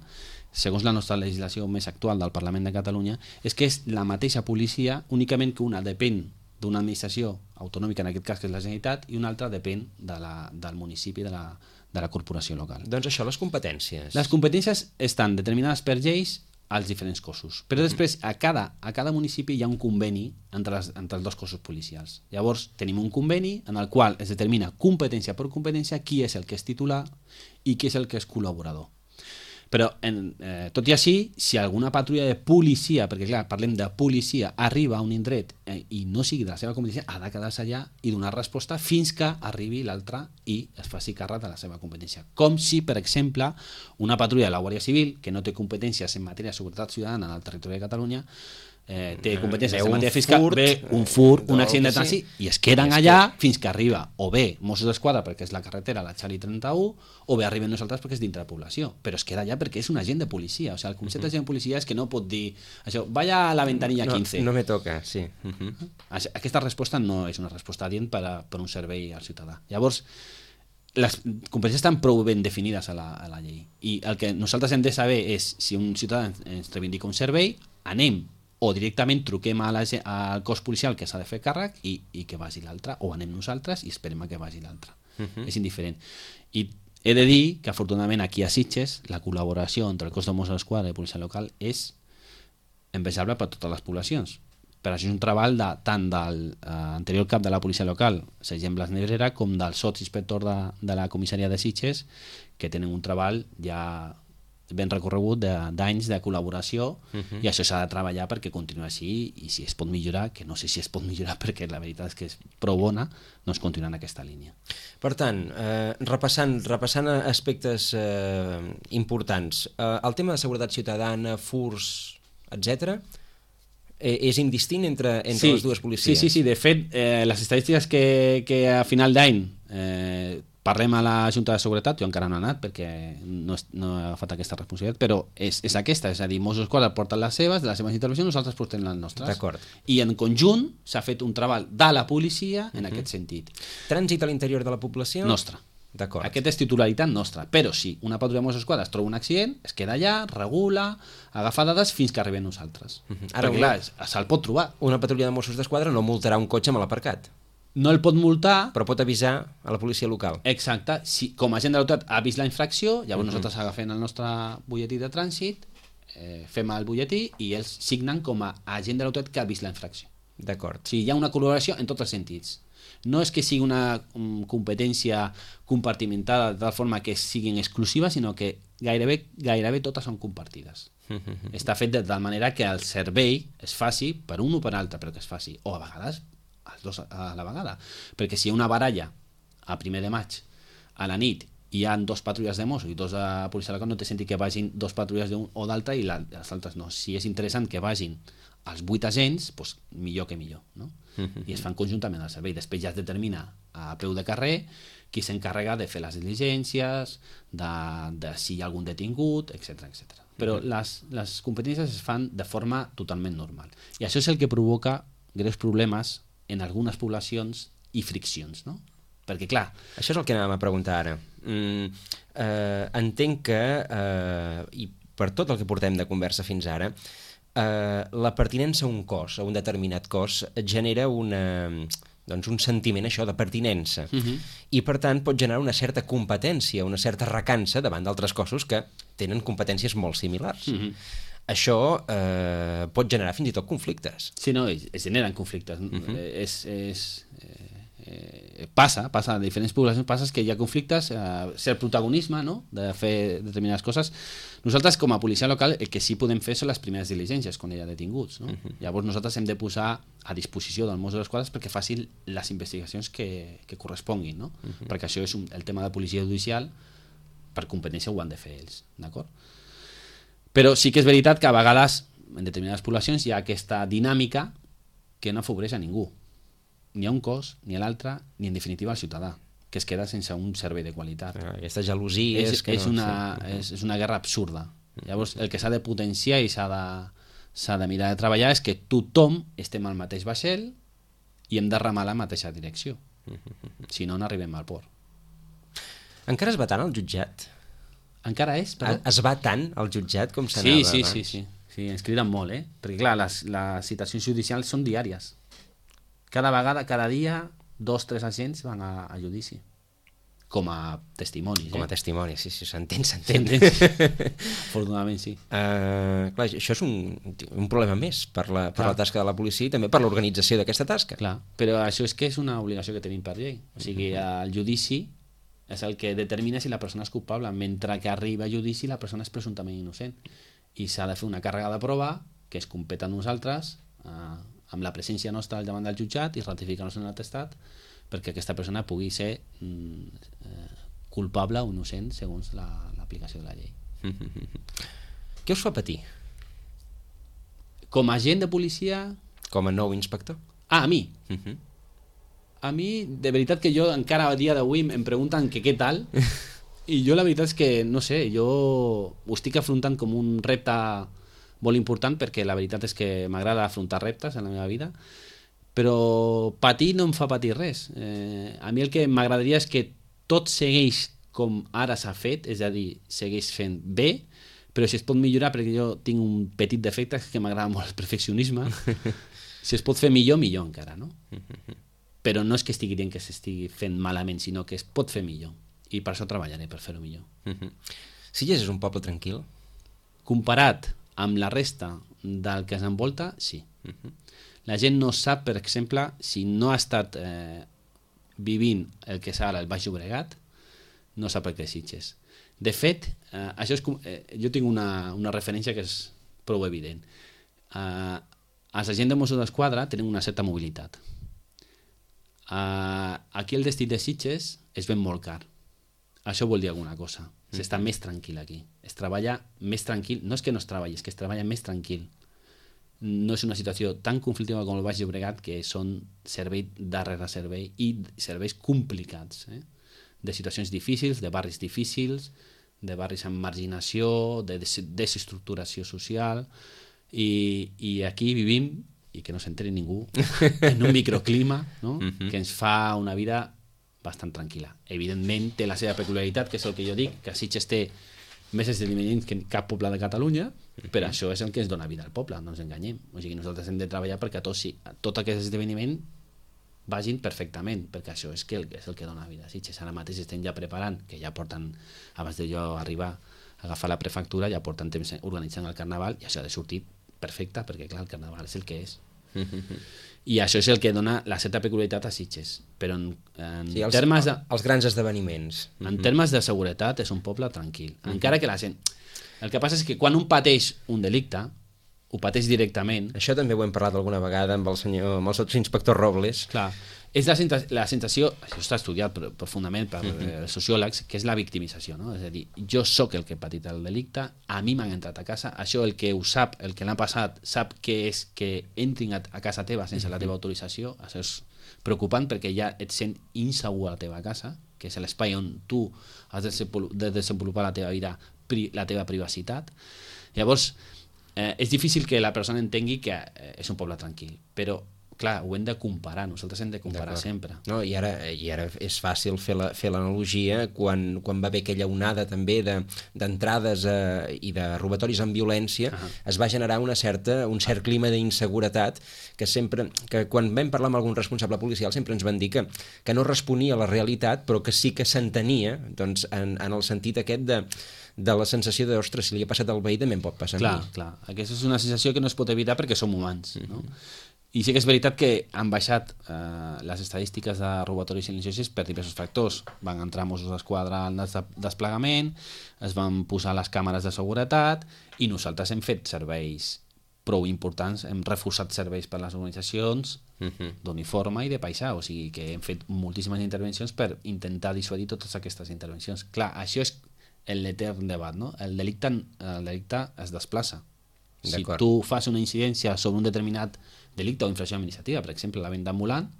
segons la nostra legislació més actual del Parlament de Catalunya, és que és la mateixa policia, únicament que una depèn d'una administració autonòmica, en aquest cas que és la Generalitat, i una altra depèn de la, del municipi, de la, de la corporació local. Doncs això, les competències. Les competències estan determinades per lleis als diferents cossos, però després a cada, a cada municipi hi ha un conveni entre, les, entre els dos cossos policials. Llavors tenim un conveni en el qual es determina competència per competència qui és el que és titular i qui és el que és col·laborador. Però, en, eh, tot i així, si alguna patrulla de policia, perquè clar, parlem de policia, arriba a un indret eh, i no sigui de la seva competència, ha de quedar-se allà i donar resposta fins que arribi l'altre i es faci càrrec de la seva competència. Com si, per exemple, una patrulla de la Guàrdia Civil, que no té competències en matèria de seguretat ciutadana en el territori de Catalunya, eh, té competències en matèria fiscal, furt, ve un furt, un no, accident de trànsit, sí. I es queden allà fins que arriba o bé Mossos d'Esquadra perquè és la carretera, la Xali trenta-u, o bé arribem nosaltres perquè és dintre la població, però es queda allà perquè és un agent de policia. O sigui, el concepte uh-huh. d'agent de policia és que no pot dir això, vaya a la ventanilla no, quinze. No me toca, sí. Uh-huh. Aquesta resposta no és una resposta adient per, a, per un servei al ciutadà. Llavors, les competències estan prou ben definides a la, a la llei. I el que nosaltres hem de saber és si un ciutadà ens reivindica un servei, anem o directament truquem a la, al cos policial que s'ha de fer càrrec i, i que vagi l'altre, o anem nosaltres i esperem a que vagi l'altre. Uh-huh. És indiferent. I he de dir que afortunadament aquí a Sitges la col·laboració entre el cos de Mossos d'Esquadra i la policia local és envejable per totes les poblacions. Per això és un treball de, tant del eh, anterior cap de la policia local, Sergent Blas Nebrera, com del sotsinspector de, de la comissaria de Sitges, que tenen un treball ja ben recorregut d'anys de, de col·laboració uh-huh. i això s'ha de treballar perquè continuï així i si es pot millorar, que no sé si es pot millorar perquè la veritat és que és prou bona, doncs continuar en aquesta línia. Per tant, eh, repassant, repassant aspectes eh, importants, eh, el tema de seguretat ciutadana, furs, etcètera, eh, és indistint entre, entre sí, les dues policies? Sí, sí, sí. De fet, eh, les estadístiques que, que a final d'any eh, parlem a la Junta de Seguretat, jo encara no he anat perquè no, és, no he agafat aquesta responsabilitat, però és, és aquesta, és a dir, Mossos d'Esquadra porten les seves, de les seves intervencions, nosaltres portem les nostres. D'acord. I en conjunt s'ha fet un treball de la policia en uh-huh. aquest sentit. Trànsit a l'interior de la població? Nostre. D'acord. Aquest és titularitat nostra, però si una patrulla de Mossos d'Esquadra es troba un accident, es queda allà, regula, agafa dades fins que arribem nosaltres. Uh-huh. Ara, perquè clar, se'l pot trobar. Una patrulla de Mossos d'Esquadra no multarà un cotxe mal aparcat. No el pot multar, però pot avisar a la policia local. Exacte. Si com a agent de l'autoritat ha vist la infracció, llavors uh-huh. nosaltres agafem el nostre butlletí de trànsit, eh, fem el butlletí i ells signen com a agent de l'autoritat que ha vist la infracció. D'acord. O sigui, hi ha una col·laboració en tots els sentits. No és que sigui una um, competència compartimentada de tal forma que siguin exclusives, sinó que gairebé, gairebé totes són compartides. Està fet de tal manera que el servei es faci per un o per altre, però que es faci, o a vegades els dos a la vegada. Perquè si hi ha una baralla a primer de maig, a la nit, hi ha dos patrulles de Mossos i dos de policia local, no té sentit que vagin dos patrulles d'un o d'altre i la, les altres no. Si és interessant que vagin els vuit agents, doncs millor que millor, no? I es fan conjuntament al servei. Després ja es determina a peu de carrer qui s'encarrega de fer les diligències, de, de si hi ha algun detingut, etcètera, etcètera. Però les, les competències es fan de forma totalment normal. I això és el que provoca greus problemes en algunes poblacions i friccions, no? Perquè, clar... Això és el que anàvem a preguntar ara. Mm, eh, entenc que, eh, i per tot el que portem de conversa fins ara, eh, la pertinença a un cos, a un determinat cos, genera una, doncs un sentiment, això, de pertinença. Uh-huh. I, per tant, pot generar una certa competència, una certa recança davant d'altres cossos que tenen competències molt similars. Uh-huh. Això eh, pot generar fins i tot conflictes. Sí, no, es generen conflictes. Uh-huh. És... és eh... Eh, passa, passa a diferents poblacions, passa que hi ha conflictes, eh, ser protagonisme, no?, de fer determinades coses. Nosaltres, com a policia local, el que sí podem fer són les primeres diligències quan hi ha detinguts, no? Uh-huh. Llavors nosaltres hem de posar a disposició del Mossos d'Esquadra perquè facin les investigacions que, que corresponguin, no? Uh-huh. Perquè això és un, el tema de policia judicial, per competència ho han de fer ells, d'acord? Però sí que és veritat que a vegades en determinades poblacions hi ha aquesta dinàmica que no afavoreix a ningú, ni a un cos, ni a l'altre, ni en definitiva al ciutadà, que es queda sense un servei de qualitat. Ah, aquesta gelosia és, és, que és, no, una, sí. és, és una guerra absurda. Llavors, el que s'ha de potenciar i s'ha de, s'ha de mirar de treballar és que tothom estem al mateix vaixell i hem de remar la mateixa direcció. Si no, no arribem al port. Encara es va tant al jutjat? Encara és? Però... Es va tant al jutjat com s'anava sí, sí, abans? sí, sí, sí. Ens criden molt, eh? Perquè, clar, les, les citacions judicials són diàries. Cada vegada, cada dia, dos, tres agents van a, a judici. Com a testimonis. Com a eh? testimonis, sí, sí, s'entén, s'entén. Afortunadament, sí. Uh, clar, això és un, un problema més per, la, per la tasca de la policia i també per l'organització d'aquesta tasca. Clar, però això és que és una obligació que tenim per llei. O sigui, el judici és el que determina si la persona és culpable, mentre que arriba a judici la persona és presumptament innocent. I s'ha de fer una càrrega de prova que es competa a nosaltres, uh, amb la presència nostra al davant del jutjat i ratificar-nos en l'atestat perquè aquesta persona pugui ser mm, eh, culpable o innocent segons la, l'aplicació de la llei. Què us fa patir? Com a agent de policia... Com a nou inspector? Ah, a mi? Uh-huh. A mi, de veritat que jo encara a dia d'avui em pregunten que què tal i jo la veritat és que, no sé, jo ho estic afrontant com un repte molt important perquè la veritat és que m'agrada afrontar reptes en la meva vida, però patir no em fa patir res. Eh, a mi el que m'agradaria és que tot segueix com ara s'ha fet, és a dir, segueix fent bé, però si es pot millorar, perquè jo tinc un petit defecte que m'agrada molt el perfeccionisme, si es pot fer millor, millor encara, no? Però no és que estigui dient que s'estigui fent malament, sinó que es pot fer millor, i per això treballaré per fer-ho millor. Sitges és un poble tranquil? Comparat amb la resta del que s'envolta, sí. Uh-huh. La gent no sap, per exemple, si no ha estat eh, vivint el que és ara el Baix Llobregat, no sap el que és Sitges. De fet, eh, això és com, eh, jo tinc una, una referència que és prou evident. Eh, els agents de Mossos d'Esquadra tenen una certa mobilitat. Eh, aquí el destí de Sitges es ven molt car. Això vol dir alguna cosa. S'està més tranquil aquí. Es treballa més tranquil. No és que no es treballi, és que es treballa més tranquil. No és una situació tan conflictiva com el Baix Llobregat, que són servei darrere servei i serveis complicats, eh? De situacions difícils, de barris difícils, de barris amb marginació, de des- desestructuració social, i, i aquí vivim, i que no s'enteri ningú, en un microclima, no? Que ens fa una vida bastant tranquil·la. Evidentment té la seva peculiaritat, que és el que jo dic, que Sitges té més esdeveniments que cap poble de Catalunya, però això és el que ens dona vida al poble, no ens enganyem. O sigui, nosaltres hem de treballar perquè tot, sí, tot aquest esdeveniment vagin perfectament, perquè això és, que és el que dona vida a Sitges. Ara mateix estem ja preparant, que ja porten, abans de jo arribar a agafar la prefectura, ja porten temps organitzant el carnaval, i això ha de sortir perfecte, perquè clar, el carnaval és el que és. I això és el que dona la certa peculiaritat a Sitges. Però en, en sí, els, termes de... els grans esdeveniments. En termes de seguretat és un poble tranquil. Encara que la gent... El que passa és que quan un pateix un delicte, ho pateix directament... Això també ho hem parlat alguna vegada amb el senyor, amb el sotsinspector Robles. Clar, és la, la sensació, això està estudiat profundament per uh -huh. sociòlegs, que és la victimització, no? És a dir, jo sóc el que he patit el delicte, a mi m'han entrat a casa, això el que ho sap, el que l'ha passat, sap que és que entrin a, a casa teva sense uh -huh. la teva autorització, això és preocupant perquè ja et sent insegur a la teva casa, que és l'espai on tu has de desenvolupar la teva vida, la teva privacitat. Llavors, eh, és difícil que la persona entengui que eh, és un poble tranquil, però clar, ho hem de comparar, nosaltres hem de comparar sempre. No, i, ara, I ara és fàcil fer la, fer l'analogia quan, quan va haver aquella onada també d'entrades de, eh, i de robatoris amb violència, uh -huh. es va generar una certa, un cert clima d'inseguretat que sempre, que quan vam parlar amb algun responsable policial sempre ens van dir que, que no responia a la realitat, però que sí que s'entenia, doncs, en, en el sentit aquest de de la sensació de, ostres, si li ha passat al veí també em pot passar clar, a mi. Clar, aquesta és una sensació que no es pot evitar perquè som humans, no? Uh -huh. I sí que és veritat que han baixat eh, les estadístiques de robatoris silenciosos per diversos factors. Van entrar Mossos d'Esquadra al desplegament, es van posar les càmeres de seguretat i nosaltres hem fet serveis prou importants, hem reforçat serveis per les organitzacions uh-huh. d'uniforme i de paisà, o sigui que hem fet moltíssimes intervencions per intentar dissuadir totes aquestes intervencions. Clar, això és l'etern debat, no? El delicte, el delicte es desplaça. Si tu fas una incidència sobre un determinat delicte o infracció administrativa, per exemple, la venda ambulant,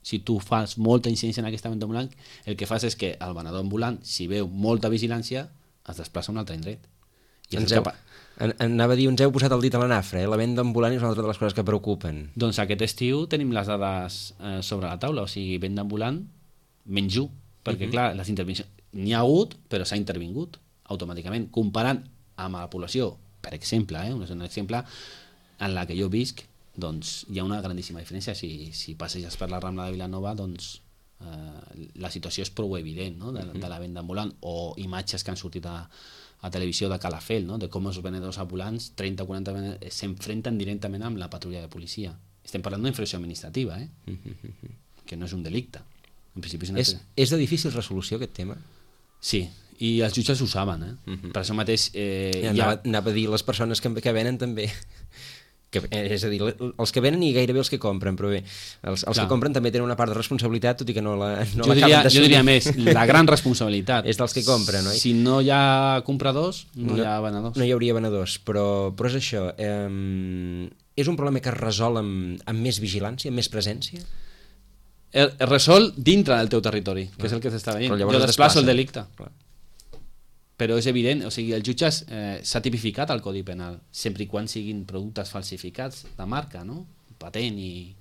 si tu fas molta incidència en aquesta venda ambulant, el que fas és que el venedor ambulant, si veu molta vigilància, es desplaça a un altre indret. I ens heu, en, anava a dir, ens heu posat el dit a la nafra, eh? La venda ambulant és una altra de les coses que preocupen. Doncs aquest estiu tenim les dades eh, sobre la taula, o sigui, venda ambulant, menys u, perquè uh-huh. clar, les intervencions n'hi ha hagut, però s'ha intervingut automàticament, comparant amb la població, per exemple, eh, és un exemple en la que jo visc, doncs hi ha una grandíssima diferència. Si, si passeges per la Rambla de Vilanova, doncs eh, la situació és prou evident, no? de, de la venda ambulant, o imatges que han sortit a, a televisió de Calafell, no? De com els venedors ambulants, trenta o quaranta venedors, s'enfrenten directament amb la patrulla de policia. Estem parlant d'una infracció administrativa, eh? que no és un delicte. En principi és, una... és, és de difícil resolució aquest tema? Sí, i els jutges ho saben, eh? Uh-huh. Per això mateix... Eh, ja, ja... anava, anava a dir, les persones que, que venen també... Que, és a dir, els que venen i gairebé els que compren, però bé, els, els que compren també tenen una part de responsabilitat, tot i que no la no jo, diria, jo diria més, la gran responsabilitat és dels que compren, oi? Si no hi ha compradors, no, no hi ha venedors. No hi hauria venedors, però, però és això. Eh, és un problema que es resol amb, amb més vigilància, amb més presència? Es resol dintre del teu territori, que ah. és el que s'està veient. Jo desplaço el delicte. Clar. Però és evident, o sigui, els jutges eh, s'ha tipificat el Codi Penal, sempre i quan siguin productes falsificats de marca, no? Patent i,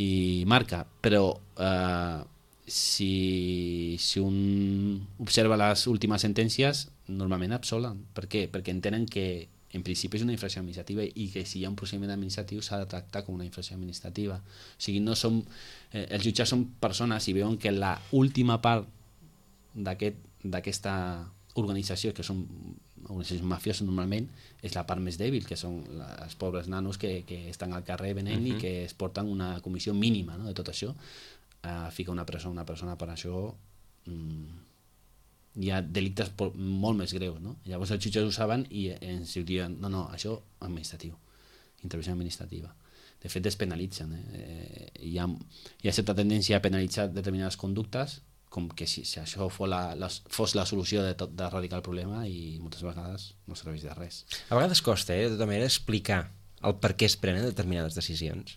i marca, però eh, si, si un observa les últimes sentències, normalment absolen. Per què? Perquè entenen que en principi és una infracció administrativa i que si hi ha un procediment administratiu s'ha de tractar com una infracció administrativa. O sigui, no som, eh, els jutges són persones i veuen que la última part d'aquest, d'aquesta organització, que són organitzacions mafioses normalment, és la part més dèbil, que són els pobres nanos que, que estan al carrer venent uh-huh. i que es porten una comissió mínima, no?, de tot això. Uh, fica una persona, una persona per això um, hi ha delictes molt més greus, no? Llavors els jutges ho saben i ens diuen, no, no, això administratiu, intervenció administrativa. De fet es penalitzen, eh? Hi ha, hi ha certa tendència a penalitzar determinades conductes, com que si, si això fos la, la, fos la solució de, tot, d'erradicar el problema, i moltes vegades no serveix de res. A vegades costa, eh, de tota manera, explicar el per què es prenen determinades decisions.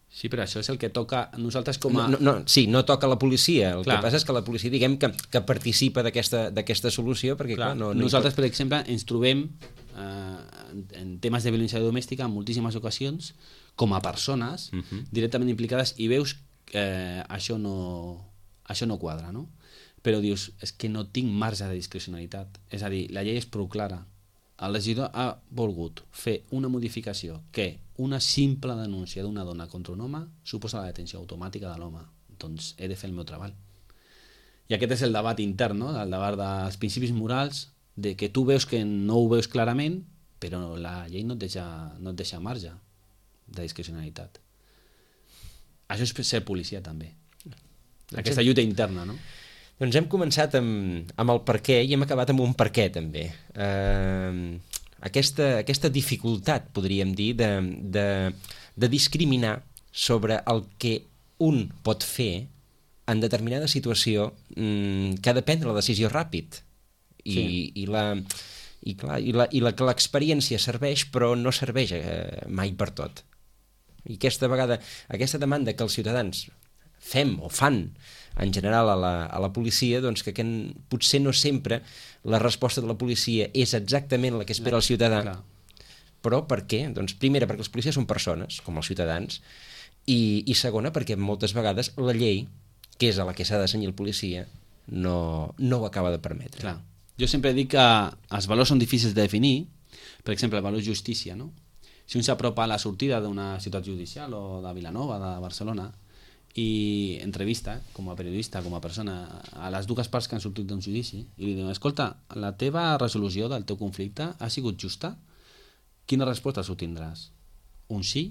Sí, però això és el que toca a nosaltres com a... No, no, sí, no toca a la policia, el clar. Que passa és que la policia, diguem, que, que participa d'aquesta, d'aquesta solució, perquè clar, clar no, no nosaltres, pot... per exemple, ens trobem eh, en, en temes de violència domèstica en moltíssimes ocasions, com a persones uh-huh. directament implicades, i veus que eh, això no... això no quadra, no? Però dius, és que no tinc marge de discrecionalitat. És a dir, la llei és prou clara. El legislador ha volgut fer una modificació que una simple denúncia d'una dona contra un home suposa la detenció automàtica de l'home. Doncs he de fer el meu treball. I aquest és el debat intern, no? El debat dels principis morals, de que tu veus que no ho veus clarament, però la llei no et deixa, no et deixa marge. de discrecionalitat. Això és ser policia, també. Aquesta lluita interna, no? Doncs hem començat amb, amb el per què i hem acabat amb un per què, també. Eh, aquesta, aquesta dificultat, podríem dir, de, de, de discriminar sobre el que un pot fer en determinada situació mm, que ha de prendre la decisió ràpid. I, sí. i la... I, clar, i, la, i la, que l'experiència serveix, però no serveix eh, mai per tot. I aquesta vegada, aquesta demanda que els ciutadans fem o fan en general a la, a la policia, doncs que, que potser no sempre la resposta de la policia és exactament la que espera el ciutadà. Clar. Però per què? Doncs primera, perquè els policies són persones, com els ciutadans, i, i segona, perquè moltes vegades la llei, que és a la que s'ha de cenyir el policia, no, no ho acaba de permetre. Clar. Jo sempre dic que els valors són difícils de definir. Per exemple, el valor justícia, no? Si un s'apropa a la sortida d'una ciutat judicial o de Vilanova, de Barcelona, i entrevista, com a periodista, com a persona, a les dues parts que han sortit d'un judici, i li diuen, escolta, la teva resolució del teu conflicte ha sigut justa? Quina resposta s'obtindràs? Un sí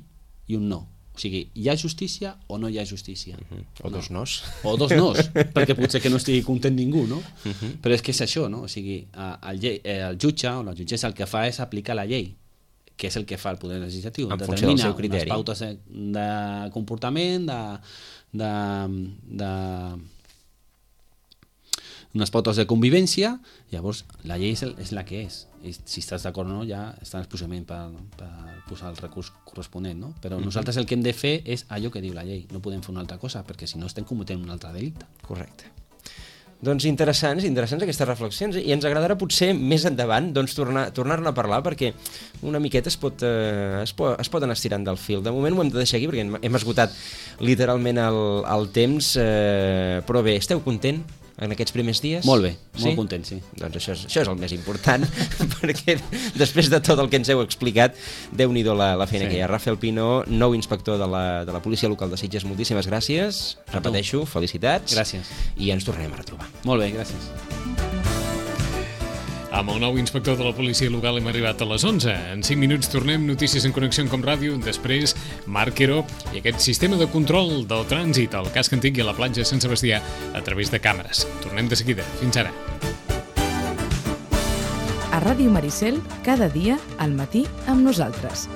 i un no. O sigui, hi ha justícia o no hi ha justícia? Uh-huh. O no. dos nos. O dos nos, perquè potser que no estigui content ningú, no? Uh-huh. Però és que és això, no? O sigui, el, el jutge o la jutgessa el que fa és aplicar la llei, que és el que fa el poder legislatiu. En funció del seu criteri. Determina unes pautes de comportament, de... de, de unes pautes de convivència, llavors la llei és, el, és la que és. I si estàs d'acord o no, ja està en el procediment per, per posar el recurs corresponent, no? Però mm-hmm. nosaltres el que hem de fer és allò que diu la llei, no podem fer una altra cosa, perquè si no estem cometent un altre delicte. Correcte. Doncs interessants, interessants aquestes reflexions, i ens agradarà potser més endavant doncs, tornar, tornar-ne a parlar, perquè una miqueta es pot, eh, es, pot, es pot anar estirant del fil. De moment ho hem de deixar aquí perquè hem esgotat literalment el, el temps, eh, però bé, esteu content en aquests primers dies? Molt bé, sí? Molt content, sí. Doncs això és, això és el més important, perquè després de tot el que ens heu explicat, Déu-n'hi-do la, la feina sí. que hi ha. Rafael Pino, nou inspector de la, de la Policia Local de Sitges, moltíssimes gràcies. Repeteixo, felicitats. Gràcies. I ens tornarem a retrobar. Molt bé, gràcies. Amb el nou inspector de la policia local hem arribat a les onze. En cinc minuts tornem, notícies en connexió com ràdio, després Marc Quero i aquest sistema de control del trànsit al casc antic i a la platja de Sant Sebastià a través de càmeres. Tornem de seguida. Fins ara. A Ràdio Maricel, cada dia al matí amb nosaltres.